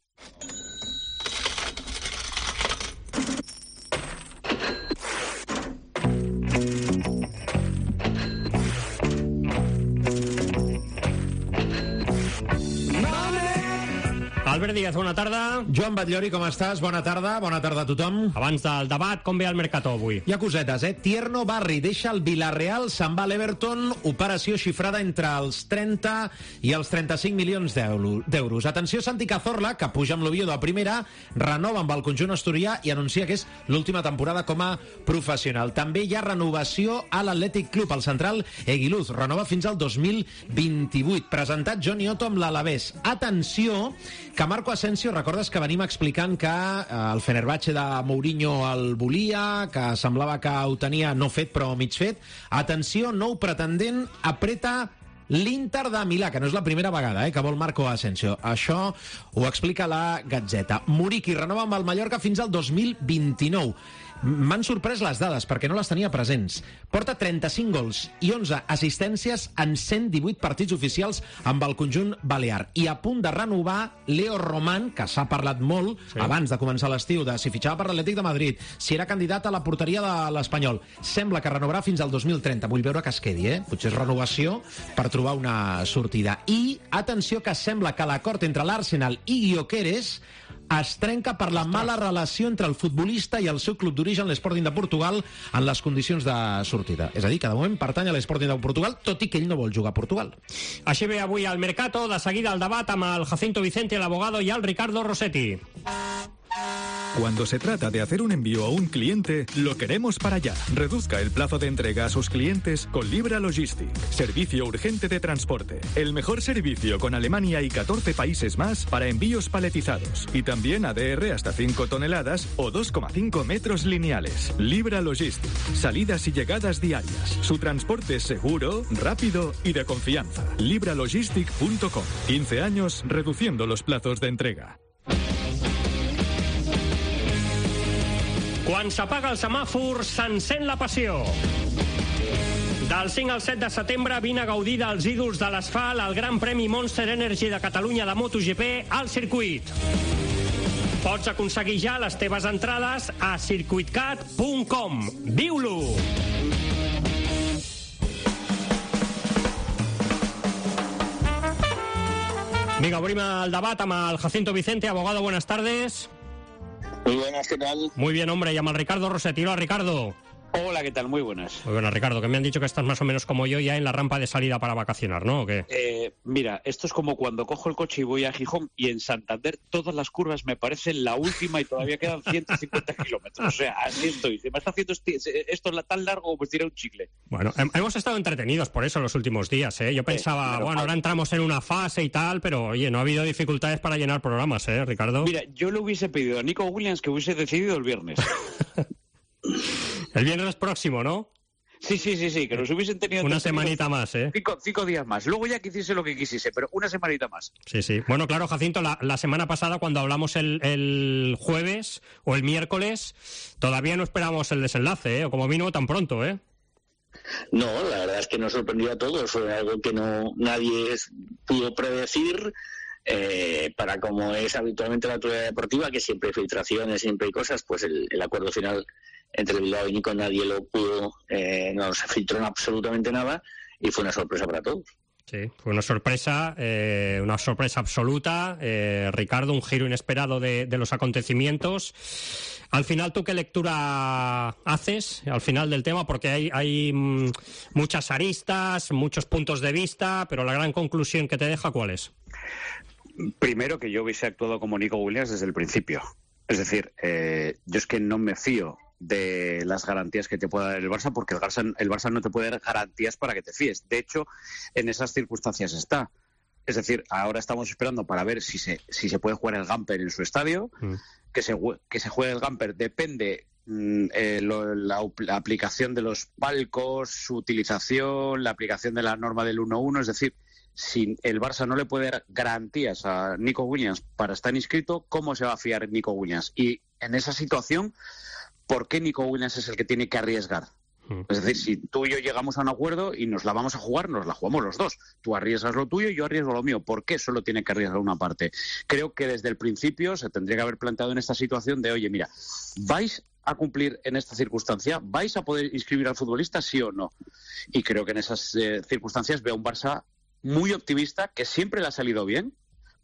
Speaker 4: Albert Díaz, bona tarda.
Speaker 18: Joan Batllori, com estàs? Bona tarda, bona tarda a tothom.
Speaker 4: Abans del debat, com ve el Mercato avui?
Speaker 18: Hi ha cosetes, eh? Tierno Barri deixa el Villarreal, se'n va a l'Everton, operació xifrada entre els trenta i els trenta-cinc milions d'euros. Atenció, Santi Cazorla, que puja amb l'Oviedo a primera, renova amb el conjunt asturià i anuncia que és l'última temporada com a professional. També hi ha renovació a l'Atlètic Club. El central Eguiluz renova fins al dos mil vint-i-vuit. Presentat Johnny Otto amb l'Alavés. Atenció, que Marco Asensio, recordes que venim explicant que el Fenerbahce de Mourinho el volia, que semblava que ho tenia no fet però mig fet. Atenció, nou pretendent apreta l'Inter de Milà, que no és la primera vegada eh, que vol Marco Asensio. Això ho explica la Gazzetta. Muriqui renova amb el Mallorca fins al dos mil vint-i-nou. M'han sorprès les dades perquè no les tenia presents. Porta trenta-cinc gols i onze assistències en cent divuit partits oficials amb el conjunt balear. I a punt de renovar Leo Román, que s'ha parlat molt sí. abans de començar l'estiu, de si fitxava per l'Atlètic de Madrid, si era candidat a la porteria de l'Espanyol. Sembla que renovarà fins al dos mil trenta. Vull veure que es quedi, eh? Potser és renovació per trobar una sortida. I, atenció, que sembla que l'acord entre l'Arsenal i Gyökeres es trenca per la mala relació entre el futbolista i el seu club d'origen, l'Sporting de Portugal, en les condicions de sortida. És a dir, que de moment pertany a l'Sporting de Portugal, tot i que ell no vol jugar a Portugal.
Speaker 4: Així ve avui al Mercato, de seguida el debat amb el Jacinto Vicente, el abogado, y el Ricardo Rossetti.
Speaker 19: Cuando se trata de hacer un envío a un cliente, lo queremos para allá. Reduzca el plazo de entrega a sus clientes con Libra Logistic. Servicio urgente de transporte. El mejor servicio con Alemania y catorce países más para envíos paletizados. Y también A D R hasta cinco toneladas o dos coma cinco metros lineales. Libra Logistic. Salidas y llegadas diarias. Su transporte es seguro, rápido y de confianza. libra logistic punto com. quince años reduciendo los plazos de entrega.
Speaker 4: Quan s'apaga el semàfor, s'encén la passió. Del cinc al set de setembre vine a gaudir dels ídols de l'asfalt al Gran Premi Monster Energy de Catalunya de MotoGP al circuit. Pots aconseguir ja les teves entrades a circuitcat punt com. Viu-lo! Vinga, obrim el debat amb el Jacinto Vicente. Abogado, buenas tardes.
Speaker 20: Muy buenas, ¿qué tal?
Speaker 4: Muy bien, hombre, llama al Ricardo Rossetti. Hola, Ricardo.
Speaker 20: Hola, ¿qué tal? Muy buenas.
Speaker 4: Muy buenas, Ricardo, que me han dicho que estás más o menos como yo ya en la rampa de salida para vacacionar, ¿no? ¿O qué?
Speaker 20: Eh, mira, esto es como cuando cojo el coche y voy a Gijón y en Santander todas las curvas me parecen la última y todavía quedan ciento cincuenta kilómetros. O sea, así estoy. Se me está haciendo esto tan largo como tirar un chicle.
Speaker 4: Bueno, hemos estado entretenidos por eso los últimos días, ¿eh? Yo pensaba, eh, pero, bueno, ahora entramos en una fase y tal, pero oye, no ha habido dificultades para llenar programas, ¿eh, Ricardo?
Speaker 20: Mira, yo le hubiese pedido a Nico Williams que hubiese decidido el viernes.
Speaker 4: El viernes próximo, ¿no?
Speaker 20: Sí, sí, sí, sí, que nos hubiesen tenido...
Speaker 4: Una semanita más, ¿eh?
Speaker 20: Cinco, cinco días más. Luego ya que hiciese lo que quisiese, pero una semanita más.
Speaker 4: Sí, sí. Bueno, claro, Jacinto, la, la semana pasada cuando hablamos el, el jueves o el miércoles, todavía no esperamos el desenlace, ¿eh? O como vino tan pronto, ¿eh?
Speaker 20: No, la verdad es que nos sorprendió a todos. Fue algo que no nadie pudo predecir. Eh, para como es habitualmente la actualidad deportiva, que siempre hay filtraciones, siempre hay cosas, pues el, el acuerdo final entre Bilbao y Nico nadie lo pudo, eh, no se filtró en absolutamente nada y fue una sorpresa para todos.
Speaker 4: Sí, fue una sorpresa, eh, una sorpresa absoluta, eh, Ricardo, un giro inesperado de, de los acontecimientos. Al final, ¿tú qué lectura haces al final del tema? Porque hay, hay mm, muchas aristas, muchos puntos de vista, pero la gran conclusión que te deja, ¿cuál es?
Speaker 20: Primero, que yo hubiese actuado como Nico Williams desde el principio. Es decir, eh, yo es que no me fío de las garantías que te pueda dar el Barça, porque el Barça, el Barça no te puede dar garantías para que te fíes. De hecho, en esas circunstancias está. Es decir, ahora estamos esperando para ver si se, si se puede jugar el Gamper en su estadio. Mm.
Speaker 21: que se, que se juegue el Gamper depende mm, eh, lo, la, la aplicación de los palcos, su utilización, la aplicación de la norma del uno uno, es decir, si el Barça no le puede dar garantías a Nico Williams para estar inscrito, ¿cómo se va a fiar Nico Williams? Y en esa situación, ¿por qué Nico Williams es el que tiene que arriesgar? Es decir, si tú y yo llegamos a un acuerdo y nos la vamos a jugar, nos la jugamos los dos. Tú arriesgas lo tuyo y yo arriesgo lo mío. ¿Por qué solo tiene que arriesgar una parte? Creo que desde el principio se tendría que haber planteado en esta situación de, oye, mira, ¿vais a cumplir en esta circunstancia? ¿Vais a poder inscribir al futbolista, sí o no? Y creo que en esas eh, circunstancias veo un Barça muy optimista, que siempre le ha salido bien,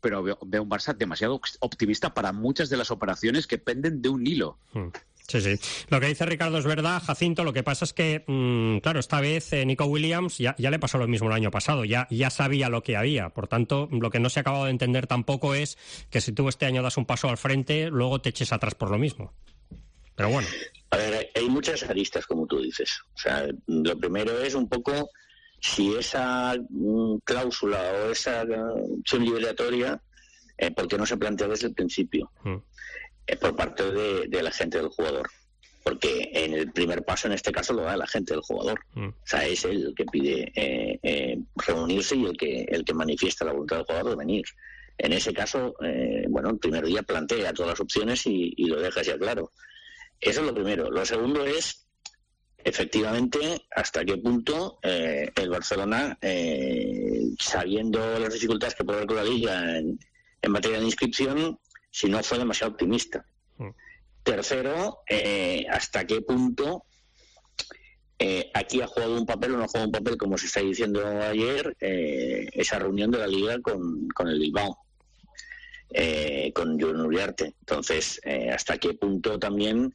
Speaker 21: pero veo, veo un Barça demasiado optimista para muchas de las operaciones que penden de un hilo.
Speaker 4: Hmm. Sí, sí. Lo que dice Ricardo es verdad, Jacinto. Lo que pasa es que, mmm, claro, esta vez eh, Nico Williams ya, ya le pasó lo mismo el año pasado, ya, ya sabía lo que había. Por tanto, lo que no se ha acabado de entender tampoco es que si tú este año das un paso al frente, luego te eches atrás por lo mismo. Pero bueno.
Speaker 20: A ver, hay muchas aristas, como tú dices. O sea, lo primero es un poco si esa mm, cláusula o esa uh, opción liberatoria, eh, ¿por qué no se plantea desde el principio? Mm. Por parte de, de la gente del jugador, porque en el primer paso en este caso lo da la gente del jugador. Mm. O sea, es él el que pide eh, eh, reunirse y el que el que manifiesta la voluntad del jugador de venir. En ese caso, eh, bueno, el primer día plantea todas las opciones y, y lo deja ya claro. Eso es lo primero. Lo segundo es, efectivamente, hasta qué punto eh, el Barcelona, eh, sabiendo las dificultades que puede haber con la Liga en, en materia de inscripción, si no fue demasiado optimista. Mm. Tercero, eh, hasta qué punto eh, aquí ha jugado un papel o no ha jugado un papel, como se está diciendo ayer, eh, esa reunión de la Liga con, con el Bilbao, eh, con Jon Uriarte. Entonces, eh, hasta qué punto también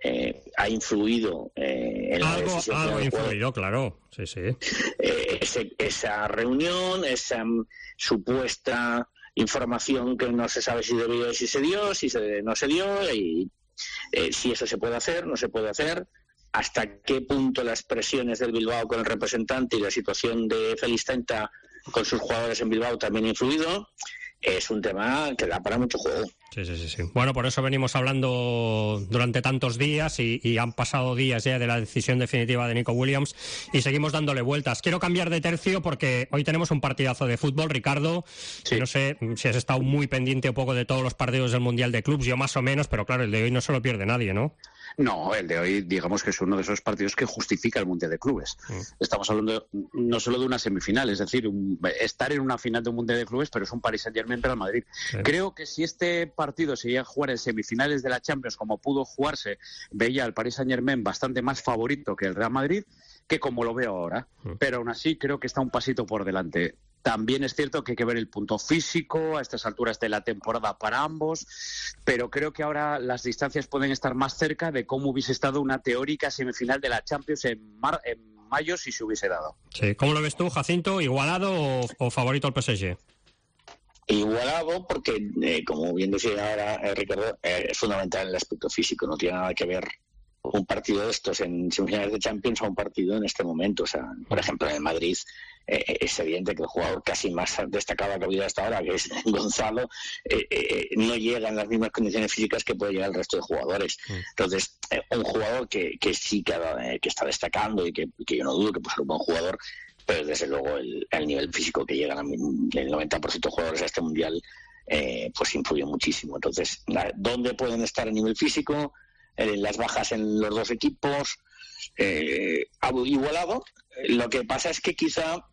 Speaker 20: eh, ha influido eh, en la
Speaker 4: algo,
Speaker 20: decisión.
Speaker 4: Algo ha influido, claro. Sí, sí.
Speaker 20: Eh, ese, esa reunión, esa um, supuesta información que no se sabe si debió, si se dio, si se, no se dio, y eh, si eso se puede hacer, no se puede hacer, hasta qué punto las presiones del Bilbao con el representante y la situación de Félix Tenta con sus jugadores en Bilbao también ha influido. Es un tema que da para mucho juego.
Speaker 4: Sí, sí, sí, sí. Bueno, por eso venimos hablando durante tantos días y, y han pasado días ya de la decisión definitiva de Nico Williams y seguimos dándole vueltas. Quiero cambiar de tercio porque hoy tenemos un partidazo de fútbol, Ricardo. Sí. No sé si has estado muy pendiente un poco de todos los partidos del Mundial de Clubs, yo más o menos, pero claro, el de hoy no se lo pierde nadie, ¿no?
Speaker 21: No, el de hoy digamos que es uno de esos partidos que justifica el Mundial de Clubes. Mm. Estamos hablando no solo de una semifinal, es decir, un, estar en una final de un Mundial de Clubes, pero es un Paris Saint-Germain Real Madrid. Sí. Creo que si este partido se llega a jugar en semifinales de la Champions como pudo jugarse, veía al Paris Saint-Germain bastante más favorito que el Real Madrid, que como lo veo ahora. Mm. Pero aún así creo que está un pasito por delante. También es cierto que hay que ver el punto físico a estas alturas de la temporada para ambos, pero creo que ahora las distancias pueden estar más cerca de cómo hubiese estado una teórica semifinal de la Champions en, mar, en mayo si se hubiese dado.
Speaker 4: Sí. ¿Cómo lo ves tú, Jacinto? ¿Igualado o, o favorito al P S G?
Speaker 20: Igualado porque, eh, como bien decía ahora eh, Ricardo, eh, es fundamental el aspecto físico, no tiene nada que ver un partido de estos en semifinales de Champions a un partido en este momento. O sea, por ejemplo, en el Madrid eh, es evidente que el jugador casi más destacado que ha habido hasta ahora, que es Gonzalo, eh, eh, no llega en las mismas condiciones físicas que puede llegar el resto de jugadores. Entonces, eh, un jugador que, que sí que, eh, que está destacando y que, que yo no dudo que puede ser un buen jugador, pero desde luego el, el nivel físico que llegan el noventa por ciento de jugadores a este Mundial eh, pues influye muchísimo. Entonces, ¿dónde pueden estar a nivel físico? Eh, las bajas en los dos equipos, eh, igualado. Lo que pasa es que quizá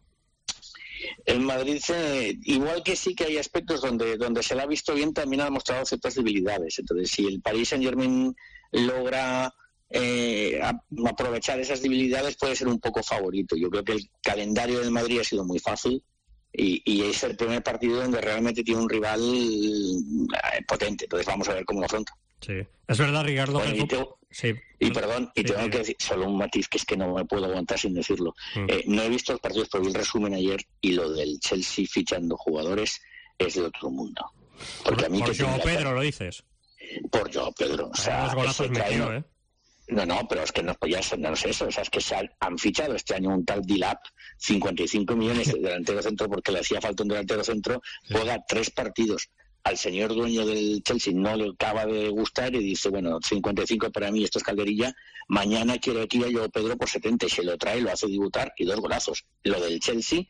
Speaker 20: el Madrid, eh, igual que sí que hay aspectos donde donde se le ha visto bien, también ha mostrado ciertas debilidades. Entonces, si el Paris Saint-Germain logra eh, a, aprovechar esas debilidades, puede ser un poco favorito. Yo creo que el calendario del Madrid ha sido muy fácil y, y es el primer partido donde realmente tiene un rival eh, potente. Entonces, vamos a ver cómo lo afronta.
Speaker 4: Sí, es verdad, Ricardo.
Speaker 20: Bueno, y, te, sí. y perdón, y sí, tengo sí. que decir solo un matiz que es que no me puedo aguantar sin decirlo. Mm. Eh, no he visto los partidos, pero vi el resumen ayer y lo del Chelsea fichando jugadores es de otro mundo. Porque
Speaker 4: por,
Speaker 20: a mí
Speaker 4: por
Speaker 20: que
Speaker 4: Joao Pedro lo dices.
Speaker 20: Por Joao Pedro, o sea,
Speaker 4: los golazos metido, ¿eh?
Speaker 20: No, no, pero es que no, ya no es eso, o sea, es que se han, han fichado este año un tal Dilap, cincuenta y cinco millones de delantero centro porque le hacía falta un delantero centro, juega tres partidos. al señor dueño del Chelsea no le acaba de gustar y dice, bueno, cincuenta y cinco para mí, esto es calderilla, mañana quiero aquí a Joao Pedro por setenta y se lo trae, lo hace debutar y dos golazos. Lo del Chelsea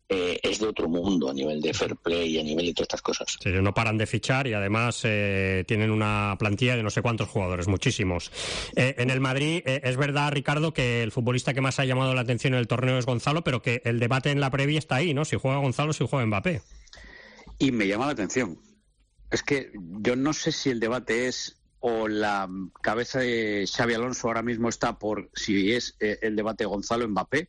Speaker 20: eh, es de otro mundo a nivel de fair play y a nivel de todas estas cosas.
Speaker 4: Sí, no paran de fichar y además eh, tienen una plantilla de no sé cuántos jugadores, muchísimos. Eh, en el Madrid eh, es verdad, Ricardo, que el futbolista que más ha llamado la atención en el torneo es Gonzalo, pero que el debate en la previa está ahí, ¿no? Si juega Gonzalo, si juega Mbappé.
Speaker 21: Y me llama la atención. Es que yo no sé si el debate es o la cabeza de Xabi Alonso ahora mismo está por si es eh, el debate Gonzalo-Mbappé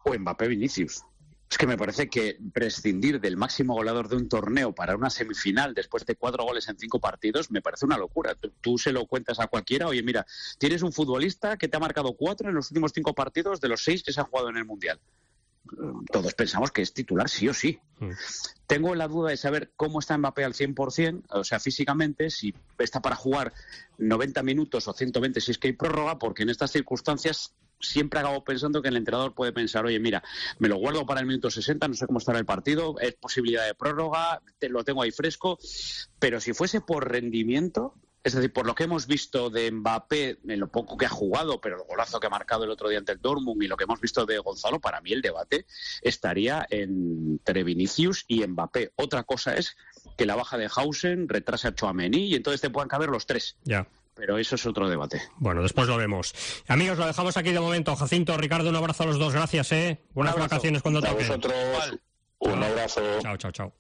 Speaker 21: o Mbappé-Vinicius. Es que me parece que prescindir del máximo goleador de un torneo para una semifinal después de cuatro goles en cinco partidos me parece una locura. Tú, tú se lo cuentas a cualquiera, oye, mira, tienes un futbolista que te ha marcado cuatro en los últimos cinco partidos de los seis que se han jugado en el Mundial. Todos pensamos que es titular sí o sí. Mm. Tengo la duda de saber cómo está Mbappé al cien por ciento, o sea, físicamente, si está para jugar noventa minutos o ciento veinte si es que hay prórroga, porque en estas circunstancias siempre acabo pensando que el entrenador puede pensar, oye, mira, me lo guardo para el minuto sesenta, no sé cómo estará el partido, es posibilidad de prórroga, te, lo tengo ahí fresco, pero si fuese por rendimiento, es decir, por lo que hemos visto de Mbappé, en lo poco que ha jugado, pero el golazo que ha marcado el otro día ante el Dortmund y lo que hemos visto de Gonzalo, para mí el debate estaría entre Vinicius y Mbappé. Otra cosa es que la baja de Hausen retrase a Tchouaméni y entonces te puedan caber los tres.
Speaker 4: Ya.
Speaker 21: Pero eso es otro debate.
Speaker 4: Bueno, después lo vemos. Amigos, lo dejamos aquí de momento. Jacinto, Ricardo, un abrazo a los dos. Gracias, ¿eh? Buenas vacaciones cuando toquen.
Speaker 20: A vosotros, un abrazo.
Speaker 4: Chao, chao, chao.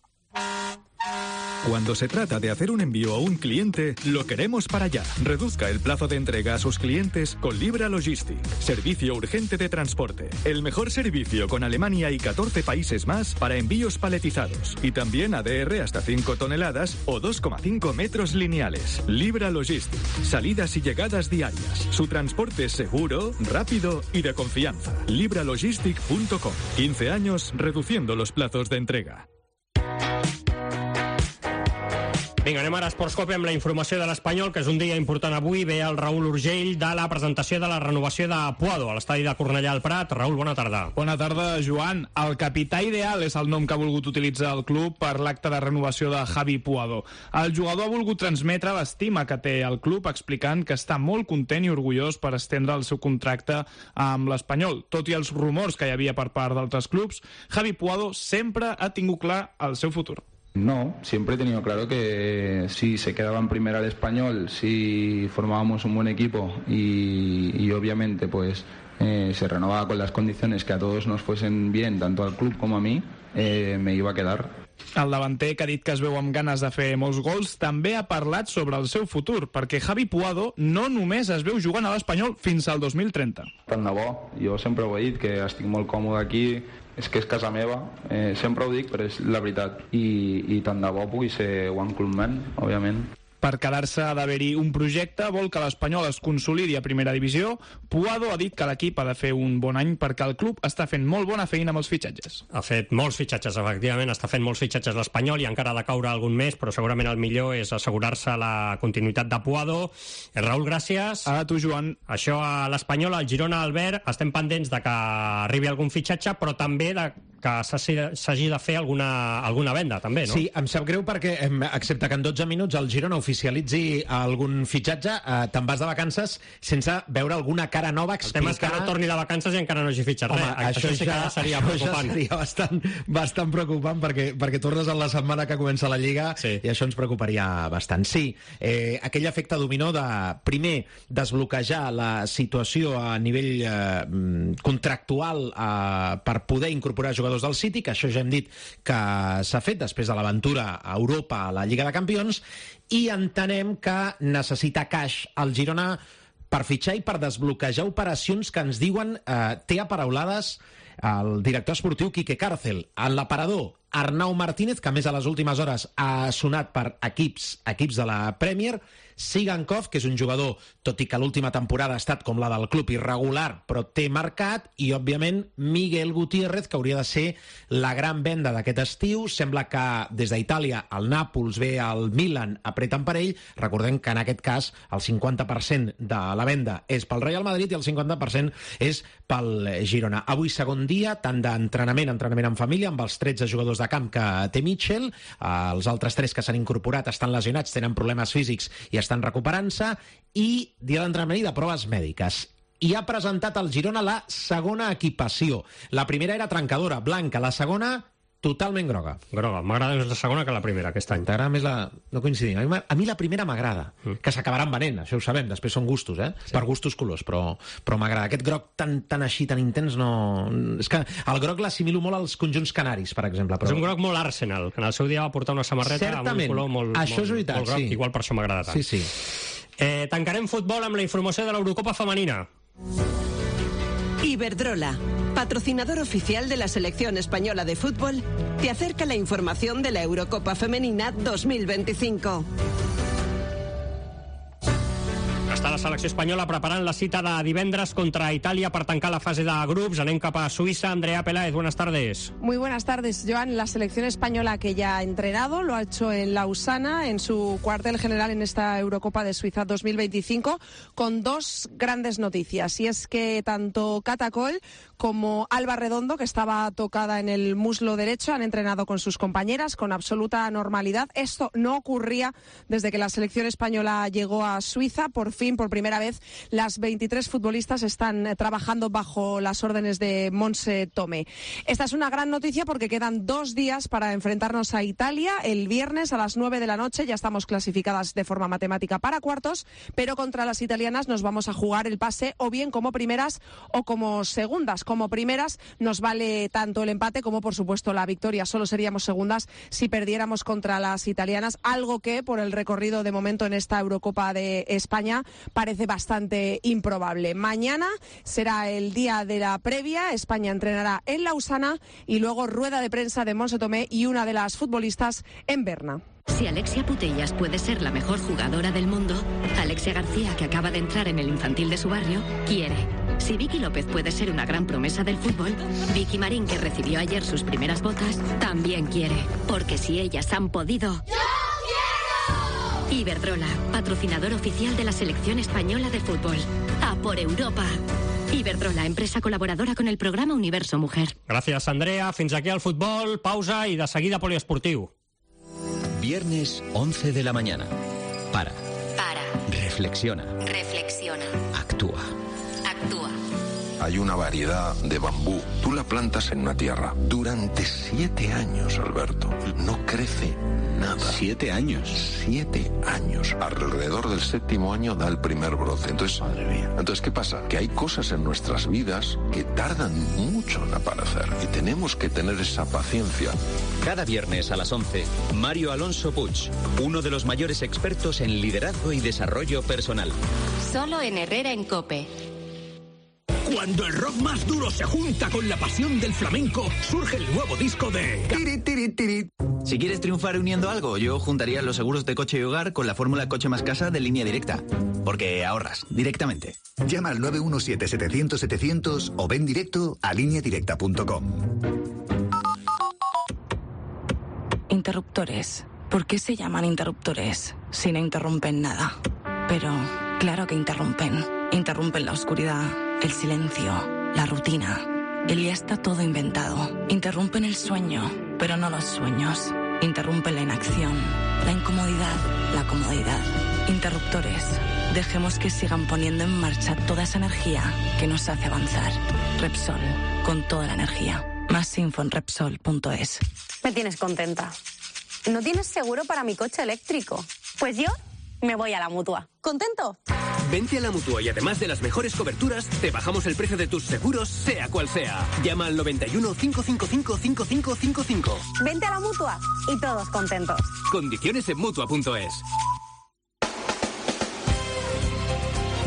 Speaker 19: Cuando se trata de hacer un envío a un cliente, lo queremos para allá. Reduzca el plazo de entrega a sus clientes con Libra Logistic. Servicio urgente de transporte. El mejor servicio con Alemania y catorce países más para envíos paletizados. Y también A D R hasta cinco toneladas o dos coma cinco metros lineales. Libra Logistic. Salidas y llegadas diarias. Su transporte es seguro, rápido y de confianza. libra logistic punto com. quince años reduciendo los plazos de entrega.
Speaker 4: Vinga, anem ara a Esportscope amb la informació de l'Espanyol, que és un dia important avui. Ve el Raül Urgell de la presentació de la renovació de Puado a l'estadi de Cornellà al Prat. Raül, bona tarda.
Speaker 5: Bona tarda, Joan. El capità ideal és el nom que ha volgut utilitzar el club per l'acte de renovació de Javi Puado. El jugador ha volgut transmetre l'estima que té el club, explicant que està molt content i orgullós per estendre el seu contracte amb l'Espanyol. Tot i els rumors que hi havia per part d'altres clubs, Javi Puado sempre ha tingut clar el seu futur.
Speaker 22: No, siempre he tenido claro que si se quedaba en primera el Español, si formábamos un buen equipo y, y obviamente pues eh, se renovaba con las condiciones que a todos nos fuesen bien, tanto al club como a mí, eh, me iba a quedar.
Speaker 5: El davanter, que ha dit que es veu amb ganes de fer molts gols, també ha parlat sobre el seu futur, perquè Javi Puado no només es veu jugant a l'Espanyol fins al dos mil trenta.
Speaker 22: Tant de bo, jo sempre ho he dit, que estic molt còmode aquí, és que és casa meva, eh, sempre ho dic, però és la veritat. I, i tant de bo pugui ser one club man, òbviament.
Speaker 5: Per quedar-se ha d'haver-hi un projecte, vol que l'Espanyol es consolidi a primera divisió. Puado ha dit que l'equip ha de fer un bon any perquè el club està fent molt bona feina amb els fitxatges.
Speaker 4: Ha fet molts fitxatges, efectivament, està fent molts fitxatges l'Espanyol i encara ha de caure algun més, però segurament el millor és assegurar-se la continuïtat de Puado. Eh, Raül, gràcies.
Speaker 5: A tu, Joan.
Speaker 4: Això a l'Espanyol, al Girona, Albert, estem pendents de que arribi algun fitxatge, però també de que s'hagi de fer alguna, alguna venda, també, no?
Speaker 18: Sí, em sap greu perquè, excepte que en dotze minuts el Girona oficialitzi algun fitxatge, eh, te'n vas de vacances sense veure alguna cara nova explicar...
Speaker 4: El tema és que no torni de vacances i encara no hagi fitxat res.
Speaker 18: Home, això, això sí
Speaker 4: ja, que seria preocupant.
Speaker 18: Això seria bastant, bastant preocupant perquè, perquè tornes a la setmana que comença la Lliga, sí, i això ens preocuparia bastant. Sí, eh, aquell efecte dominó de, primer, desbloquejar la situació a nivell eh, contractual eh, per poder incorporar jugadors del City, que això ja hem dit que s'ha fet després de l'aventura a Europa a la Lliga de Campions, i entenem que necessita cash al Girona per fitxar i per desbloquejar operacions que ens diuen, eh, té aparaulades el director esportiu Quique Cárcel. En l'aparador, Arnau Martínez, que a més a les últimes hores ha sonat per equips, equips de la Premier, Sigankov, que és un jugador, tot i que l'última temporada ha estat com la del club irregular, però té mercat, i, òbviament, Miguel Gutiérrez, que hauria de ser la gran venda d'aquest estiu. Sembla que des d'Itàlia el Nàpols ve al Milan apreten per ell. Recordem que en aquest cas el cinquanta per cent de la venda és pel Real Madrid i el cinquanta per cent és pel Girona. Avui segon dia, tant d'entrenament, entrenament en família, amb els tretze jugadors de camp que té Mitchell. Els altres tres que s'han incorporat estan lesionats, tenen problemes físics i estan recuperant-se. I dia d'entrenament i de proves mèdiques. I ha presentat el Girona la segona equipació. La primera era trencadora, blanca. La segona, totalment groga.
Speaker 4: Groga. M'agrada més la segona que la primera aquest any.
Speaker 18: T'agrada més la... No coincidim. A mi, a mi la primera m'agrada. Mm. Que s'acabaran venent, això ho sabem. Després són gustos, eh? Sí. Per gustos colors, però, però m'agrada. Aquest groc tan, tan així, tan intens, no... És que el groc l'assimilo molt als conjunts canaris, per exemple. Però...
Speaker 4: És un groc molt Arsenal, que en el seu dia va portar una samarreta
Speaker 18: Certament.
Speaker 4: amb un color molt,
Speaker 18: això
Speaker 4: molt,
Speaker 18: és veritat,
Speaker 4: molt groc,
Speaker 18: sí.
Speaker 4: igual per això m'agrada tant.
Speaker 18: Sí, sí.
Speaker 4: Eh, tancarem futbol amb la informació de l'Eurocopa femenina.
Speaker 6: Iberdrola, patrocinador oficial de la selección española de fútbol, te acerca la información de la Eurocopa Femenina dos mil veinticinco.
Speaker 4: Està la selecció espanyola preparant la cita de divendres contra Itàlia per tancar la fase de grups. Anem cap a Suïssa. Andrea Peláez, buenas tardes.
Speaker 7: Muy buenas tardes, Joan. La selección española que ya ha entrenado, lo ha hecho en Lausana, en su cuartel general en esta Eurocopa de Suiza dos mil veinticinco, con dos grandes noticias. Y es que tanto Catacol como Alba Redondo, que estaba tocada en el muslo derecho, han entrenado con sus compañeras con absoluta normalidad. Esto no ocurría desde que la selección española llegó a Suiza. Por fin, por primera vez, las veintitrés futbolistas están eh, trabajando bajo las órdenes de Montse Tomé. Esta es una gran noticia porque quedan dos días para enfrentarnos a Italia. El viernes a las nueve de la noche ya estamos clasificadas de forma matemática para cuartos, pero contra las italianas nos vamos a jugar el pase o bien como primeras o como segundas. Como primeras nos vale tanto el empate como, por supuesto, la victoria. Solo seríamos segundas si perdiéramos contra las italianas, algo que, por el recorrido de momento en esta Eurocopa de España, parece bastante improbable. Mañana será el día de la previa. España entrenará en Lausana y luego rueda de prensa de Montse Tomé y una de las futbolistas en Berna.
Speaker 23: Si Alexia Putellas puede ser la mejor jugadora del mundo, Alexia García, que acaba de entrar en el infantil de su barrio, quiere. Si Vicky López puede ser una gran promesa del fútbol, Vicky Marín, que recibió ayer sus primeras botas, también quiere. Porque si ellas han podido... ¡Yo quiero! Iberdrola, patrocinador oficial de la selección española de fútbol. ¡A por Europa! Iberdrola, empresa colaboradora con el programa Universo Mujer.
Speaker 4: Gràcies, Andrea. Fins aquí el futbol. Pausa i de seguida poliesportiu.
Speaker 24: Viernes, once de la mañana. Para.
Speaker 23: Para.
Speaker 24: Reflexiona.
Speaker 23: Reflexiona.
Speaker 24: Actúa.
Speaker 23: Actúa.
Speaker 25: Hay una variedad de bambú. Tú la plantas en una tierra. Durante siete años, Alberto. No crece nada.
Speaker 24: ¿Siete años?
Speaker 25: Siete años. Alrededor del séptimo año da el primer brote. Entonces, madre mía. Entonces, ¿qué pasa? Que hay cosas en nuestras vidas que tardan mucho en aparecer. Y tenemos que tener esa paciencia.
Speaker 24: Cada viernes a las once, Mario Alonso Puig, uno de los mayores expertos en liderazgo y desarrollo personal.
Speaker 23: Solo en Herrera en COPE.
Speaker 26: Cuando el rock más duro se junta con la pasión del flamenco, surge el nuevo disco de...
Speaker 27: Tiri, tiri, tiri. Si quieres triunfar uniendo algo, yo juntaría los seguros de coche y hogar con la fórmula Coche más Casa de Línea Directa. Porque ahorras directamente.
Speaker 8: Llama al nueve uno siete, setecientos, setecientos o ven directo a línea directa punto com.
Speaker 28: Interruptores. ¿Por qué se llaman interruptores si no interrumpen nada? Pero claro que interrumpen. Interrumpen la oscuridad, el silencio, la rutina. El ya está todo inventado. Interrumpen el sueño, pero no los sueños. Interrumpen la inacción, la incomodidad, la comodidad. Interruptores. Dejemos que sigan poniendo en marcha toda esa energía que nos hace avanzar. Repsol, con toda la energía. Más info en Repsol punto es.
Speaker 29: Me tienes contenta. ¿No tienes seguro para mi coche eléctrico? Pues yo me voy a la Mutua. ¿Contento?
Speaker 26: Vente a la Mutua y además de las mejores coberturas, te bajamos el precio de tus seguros, sea cual sea. Llama al noventa y uno, cinco cinco cinco, cinco cinco cinco cinco.
Speaker 29: Vente a la Mutua y todos contentos.
Speaker 26: Condiciones en Mutua punto es.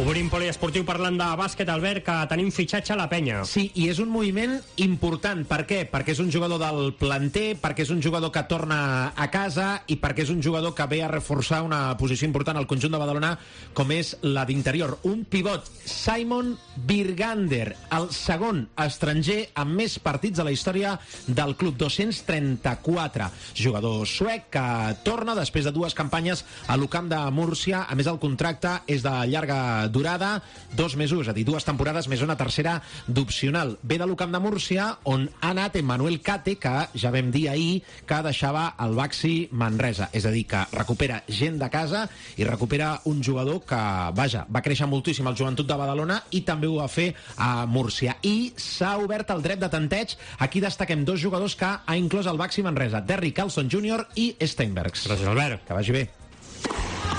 Speaker 4: Obrim poliesportiu parlant de bàsquet, Albert, que tenim fitxatge a la penya.
Speaker 18: Sí, i és un moviment important. Per què? Perquè és un jugador del planter, perquè és un jugador que torna a casa i perquè és un jugador que ve a reforçar una posició important al conjunt de Badalona, com és la d'interior. Un pivot, Simon Birgander, el segon estranger amb més partits de la història del club, dos-cents trenta-quatre. Jugador suec que torna després de dues campanyes a l'Ucamp de Múrcia. A més, el contracte és de llarga durada, dos mesos, és a dir, dues temporades més una tercera d'opcional. Ve de l'Ucamp de Múrcia, on ha anat Emmanuel Cate, que ja vam dir ahir que deixava el Baxi Manresa. És a dir, que recupera gent de casa i recupera un jugador que, vaja, va créixer moltíssim al Joventut de Badalona i també ho va fer a Múrcia. I s'ha obert el dret de tanteig. Aquí destaquem dos jugadors que ha inclòs el Baxi Manresa, Derrick Carlson júnior i Steinbergs.
Speaker 4: Gràcies, Albert.
Speaker 18: Que vagi bé.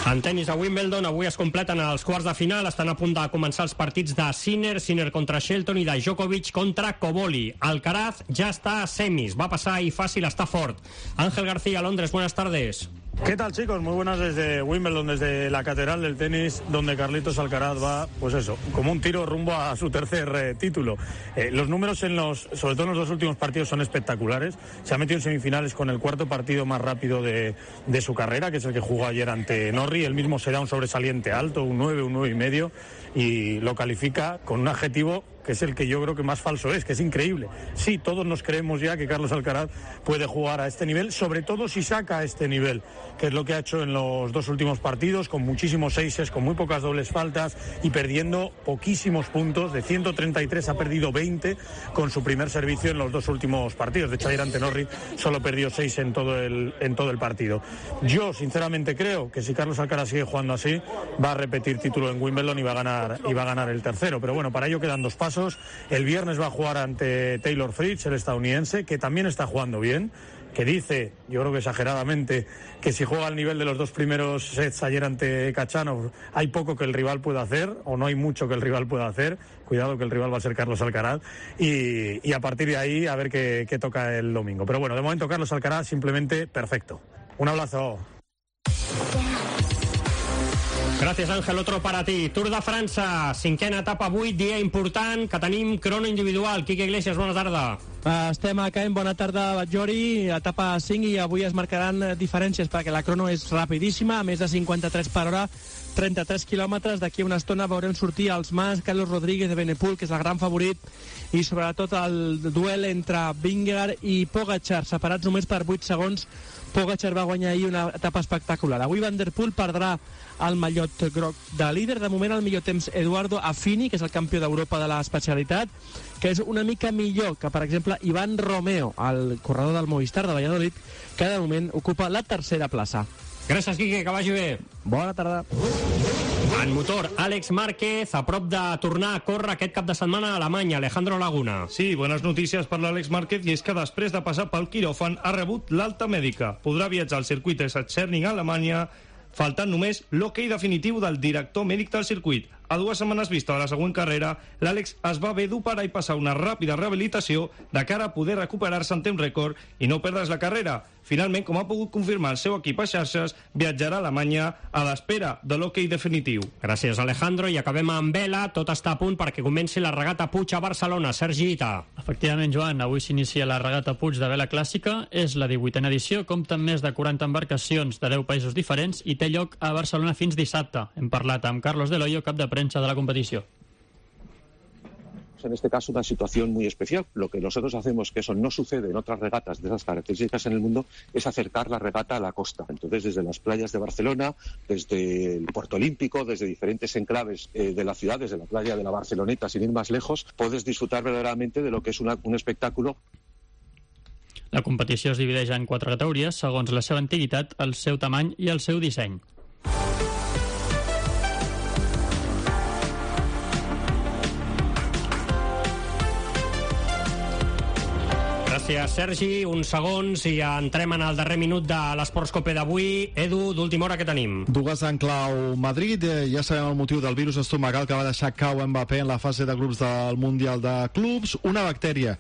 Speaker 4: En tenis a Wimbledon avui es completen els quarts de final. Estan a punt de començar els partits de Sinner, Sinner contra Shelton i de Djokovic contra Koboli. Alcaraz ja està a semis, va passar i fàcil, està fort. Ángel García, Londres, buenas tardes.
Speaker 1: ¿Qué tal, chicos? Muy buenas desde Wimbledon, desde la catedral del tenis, donde Carlitos Alcaraz va, pues eso, como un tiro rumbo a su tercer eh, título. Eh, los números, en los, sobre todo en los dos últimos partidos, son espectaculares. Se ha metido en semifinales con el cuarto partido más rápido de, de su carrera, que es el que jugó ayer ante Norrie. Él mismo se da un sobresaliente alto, un nueve, un nueve y medio, y lo califica con un adjetivo que es el que yo creo que más falso es, que es increíble. Sí, todos nos creemos ya que Carlos Alcaraz puede jugar a este nivel, sobre todo si saca este nivel, que es lo que ha hecho en los dos últimos partidos, con muchísimos seises, con muy pocas dobles faltas y perdiendo poquísimos puntos. De ciento treinta y tres ha perdido veinte con su primer servicio en los dos últimos partidos. De hecho, ayer ante Norrie solo perdió seis en todo el, en todo el partido. Yo, sinceramente, creo que si Carlos Alcaraz sigue jugando así, va a repetir título en Wimbledon y va a ganar, y va a ganar el tercero. Pero bueno, para ello quedan dos pasos. El viernes va a jugar ante Taylor Fritz, el estadounidense, que también está jugando bien, que dice, yo creo que exageradamente, que si juega al nivel de los dos primeros sets ayer ante Khachanov, hay poco que el rival pueda hacer, o no hay mucho que el rival pueda hacer. Cuidado que el rival va a ser Carlos Alcaraz, y, y a partir de ahí a ver qué, qué toca el domingo. Pero bueno, de momento Carlos Alcaraz simplemente perfecto. Un abrazo.
Speaker 4: Gràcies, Àngel. Otro para ti. Tour de França, cinquena etapa avui, dia important, que tenim crono individual. Quique Iglesias, bona tarda.
Speaker 3: Estem a Caen, bona tarda, Batllori, etapa cinc, i avui es marcaran diferències perquè la crono és rapidíssima, a més de cinquanta-tres per hora, trenta-tres quilòmetres. D'aquí a una estona veurem sortir els Mas, Carlos Rodríguez de Benepul, que és el gran favorit, i sobretot el duel entre Vingegaard i Pogačar, separats només per vuit segons. Pogačar va guanyar ahir una etapa espectacular. Avui Van der Poel perdrà el mallot groc de líder. De moment el millor temps Eduardo Affini, que és el campió d'Europa de l'especialitat, que és una mica millor que, per exemple, Iván Romeo, el corredor del Movistar de Valladolid, que de moment ocupa la tercera plaça.
Speaker 4: Gràcies, Quique, que vagi bé.
Speaker 3: Bona tarda.
Speaker 4: En motor, Àlex Márquez, a prop de tornar a córrer aquest cap de setmana a Alemanya. Alejandro Laguna.
Speaker 9: Sí, bones notícies per l'Àlex Márquez, i és que després de passar pel quiròfan ha rebut l'alta mèdica. Podrà viatjar al circuit de Sachsenring a Alemanya, faltant només l'hoquei definitiu del director mèdic del circuit. A dues setmanes vista de la següent carrera, l'Àlex es va haver d'operar i passar una ràpida rehabilitació de cara a poder recuperar-se en temps rècord i no perdre's la carrera. Finalment, com ha pogut confirmar el seu equip a xarxes, viatjarà a Alemanya a l'espera de l'hoquei definitiu.
Speaker 4: Gràcies, Alejandro. I acabem amb vela. Tot està a punt perquè comenci la regata Puig a Barcelona. Sergi Ita.
Speaker 10: Efectivament, Joan, avui s'inicia la regata Puig de vela clàssica. És la divuitena edició, compta amb més de quaranta embarcacions de deu països diferents i té lloc a Barcelona fins dissabte. Hem parlat amb Carlos Del Hoyo, cap de prensa de la competició.
Speaker 11: En este caso una situación muy especial. Lo que nosotros hacemos, que eso no sucede en otras regatas de esas características en el mundo, es acercar la regata a la costa. Entonces, desde las playas de Barcelona, desde el Puerto Olímpico, desde diferentes enclaves eh, de la ciudad, desde la playa de la Barceloneta, sin ir más lejos, puedes disfrutar verdaderamente de lo que es una, un espectáculo.
Speaker 10: La competició es divideix en quatre categories, segons la seva antiguitat, el seu tamany i el seu disseny.
Speaker 4: Gràcies, Gràcies, Sergi. Uns segons i entrem en el darrer minut de l'Esports Cope d'avui. Edu, d'última hora, què tenim?
Speaker 2: Dues en clau Madrid. Eh, ja sabem el motiu del virus estomacal que va deixar cau Mbappé en la fase de grups del Mundial de Clubs. Una bactèria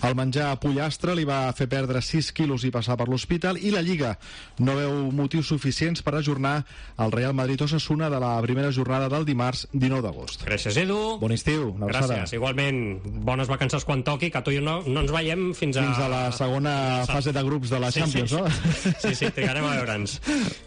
Speaker 2: al menjar pollastre li va fer perdre sis quilos i passar per l'hospital, i la Lliga no veu motius suficients per ajornar el Real Madrid-Osasuna de la primera jornada del dimarts dinou d'agost.
Speaker 4: Gràcies, Edu.
Speaker 2: Bon estiu.
Speaker 4: Gràcies. Igualment, bones vacances quan toqui, que tu i jo no, no ens veiem fins a...
Speaker 2: Fins a la segona fase de grups de la
Speaker 4: sí,
Speaker 2: Champions,
Speaker 4: sí,
Speaker 2: no?
Speaker 4: Sí, sí, sí, trigarem a veure'ns.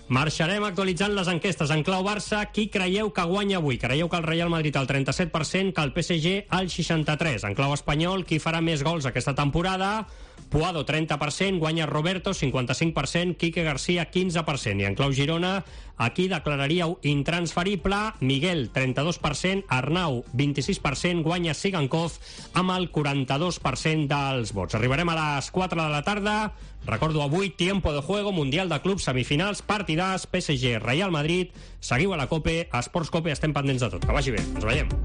Speaker 4: Marxarem actualitzant les enquestes. En clau Barça, qui creieu que guanya avui? Creieu que el Real Madrid al trenta-set per cent, que el P S G al seixanta-tres per cent. En clau espanyol, qui farà més gols aquesta temporada? Puado, trenta per cent, guanya Roberto, cinquanta-cinc per cent, Quique García, quinze per cent. I en clau Girona, aquí declararíeu intransferible Miguel, trenta-dos per cent, Arnau, vint-i-sis per cent, guanya Sigankov amb el quaranta-dos per cent dels vots. Arribarem a les quatre de la tarda. Recordo avui, tiempo de juego, Mundial de Clubs, semifinals, partidars, P S G, Real Madrid. Seguiu a la Cope, a Esports Cope, estem pendents de tot. Que vagi bé, ens veiem.